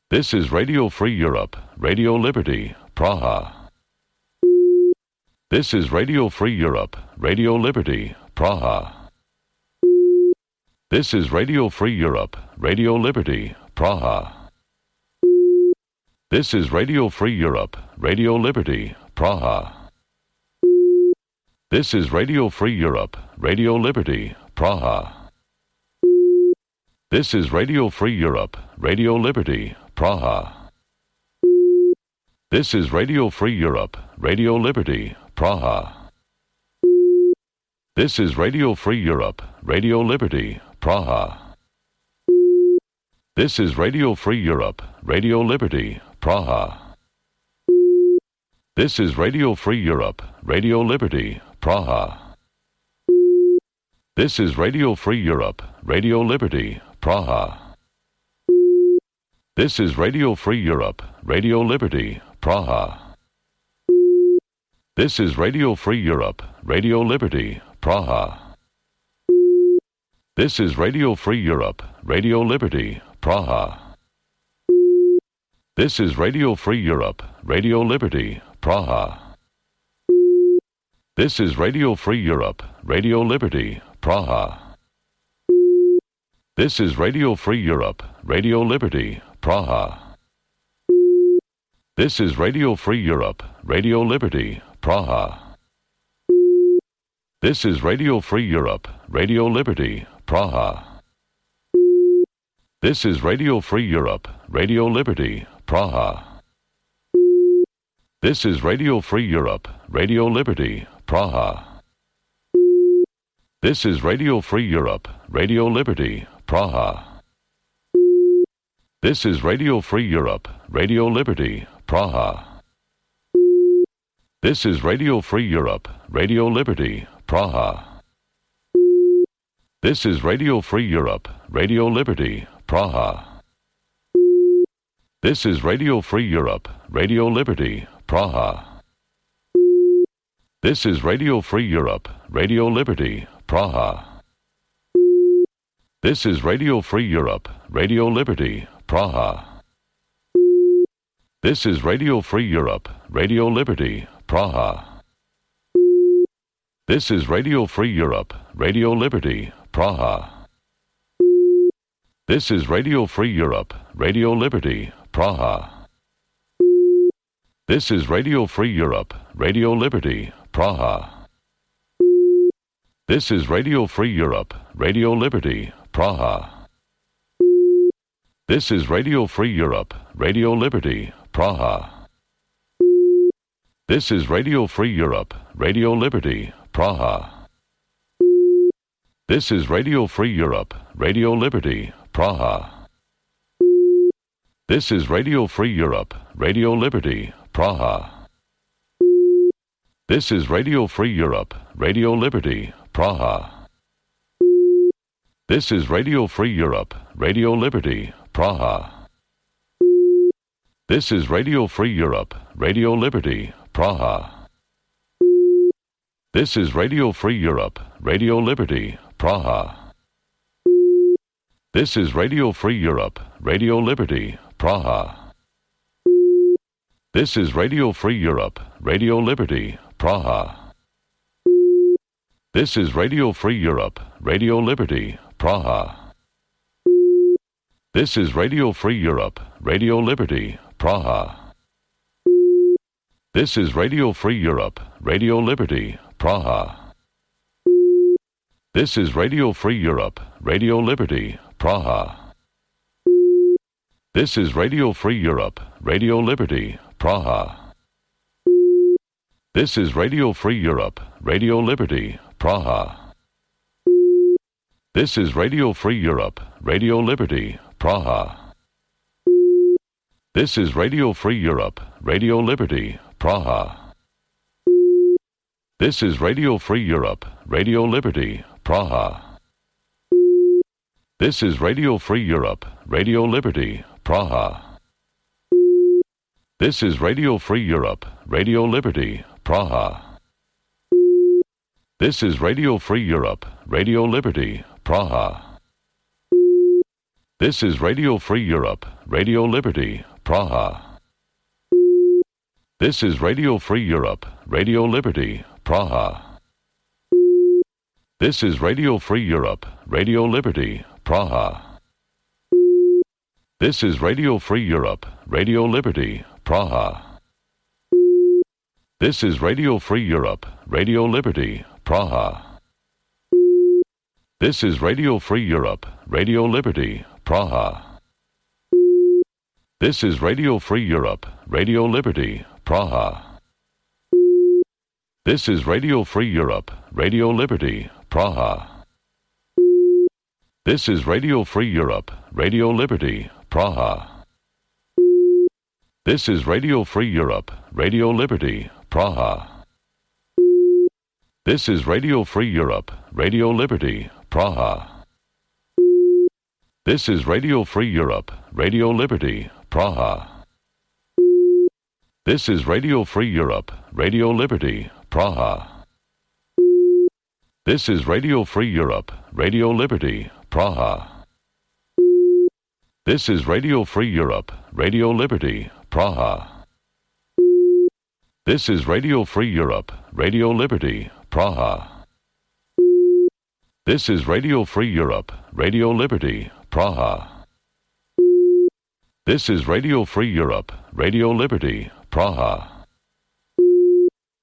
[SPEAKER 21] This is Radio Free Europe, Radio Liberty, Praha. This is Radio Free Europe, Radio Liberty, Praha. This is Radio Free Europe, Radio Liberty, Praha. This is Radio Free Europe, Radio Liberty, Praha. This is Radio Free Europe, Radio Liberty, Praha. This is Radio Free Europe, Radio Liberty, Praha. This is Radio Free Europe, Radio Liberty, Praha. This is Radio Free Europe, Radio Liberty, Praha. This is Radio Free Europe, Radio Liberty, Praha. This is Radio Free Europe, Radio Liberty, Praha. This is Radio Free Europe, Radio Liberty, Praha. This is Radio Free Europe, Radio Liberty, Praha. This is Radio Free Europe, Radio Liberty, Praha. This is Radio Free Europe, Radio Liberty, Praha. This is Radio Free Europe, Radio Liberty, Praha. This is Radio Free Europe, Radio Liberty, Praha. This is Radio Free Europe, Radio Liberty, Praha. This is Radio Free Europe, Radio Liberty, Praha. This is Radio Free Europe, Radio Liberty, Praha. This is Radio Free Europe, Radio Liberty, Praha. This is Radio Free Europe, Radio Liberty, Praha. This is Radio Free Europe, Radio Liberty, Praha. This is Radio Free Europe, Radio Liberty, Praha. This is Radio Free Europe, Radio Liberty, Praha. This is Radio Free Europe, Radio Liberty, Praha. This is Radio Free Europe, Radio Liberty, Praha. This is Radio Free Europe, Radio Liberty, Praha. This is Radio Free Europe, Radio Liberty, Praha. This is Radio Free Europe, Radio Liberty, Praha. This is Radio Free Europe, Radio Liberty, Praha. This is Radio Free Europe, Radio Liberty, Praha. This is Radio Free Europe, Radio Liberty, Praha. This is Radio Free Europe, Radio Liberty, Praha. This is Radio Free Europe, Radio Liberty, Praha. This is Radio Free Europe, Radio Liberty, Praha. This is Radio Free Europe, Radio Liberty, Praha. This is Radio Free Europe, Radio Liberty, Praha. This is Radio Free Europe, Radio Liberty, Praha. This is Radio Free Europe, Radio Liberty, Praha. This is Radio Free Europe, Radio Liberty, Praha. This is Radio Free Europe, Radio Liberty, Praha. This is Radio Free Europe, Radio Liberty, Praha. This is Radio Free Europe, Radio Liberty, Praha. This is Radio Free Europe, Radio Liberty, Praha. This is Radio Free Europe, Radio Liberty, Praha. This is Radio Free Europe, Radio Liberty, Praha. This is Radio Free Europe, Radio Liberty, Praha. This is Radio Free Europe, Radio Liberty, Praha. This is Radio Free Europe, Radio Liberty, Praha. This is Radio Free Europe, Radio Liberty, Praha. This is Radio Free Europe, Radio Liberty, Praha. This is Radio Free Europe, Radio Liberty, Praha. This is Radio Free Europe, Radio Liberty, Praha. This is Radio Free Europe, Radio Liberty, Praha. This is Radio Free Europe, Radio Liberty, Praha. This is Radio Free Europe, Radio Liberty, Praha. This is Radio Free Europe, Radio Liberty, Praha. This is Radio Free Europe, Radio Liberty, Praha. This is Radio Free Europe, Radio Liberty, Praha. This is Radio Free Europe, Radio Liberty, Praha. This is Radio Free Europe, Radio Liberty, Praha. This is Radio Free Europe, Radio Liberty, Praha. This is Radio Free Europe, Radio Liberty, Praha. This is Radio Free Europe, Radio Liberty, Praha. This is Radio Free Europe, Radio Liberty, Praha. This is Radio Free Europe, Radio Liberty, Praha. This is Radio Free Europe, Radio Liberty, Praha. This is Radio Free Europe, Radio Liberty, Praha. This is Radio Free Europe, Radio Liberty, Praha. This is Radio Free Europe, Radio Liberty, Praha. This is Radio Free Europe, Radio Liberty, Praha. This is Radio Free Europe, Radio Liberty, Praha. This is Radio Free Europe, Radio Liberty, Praha.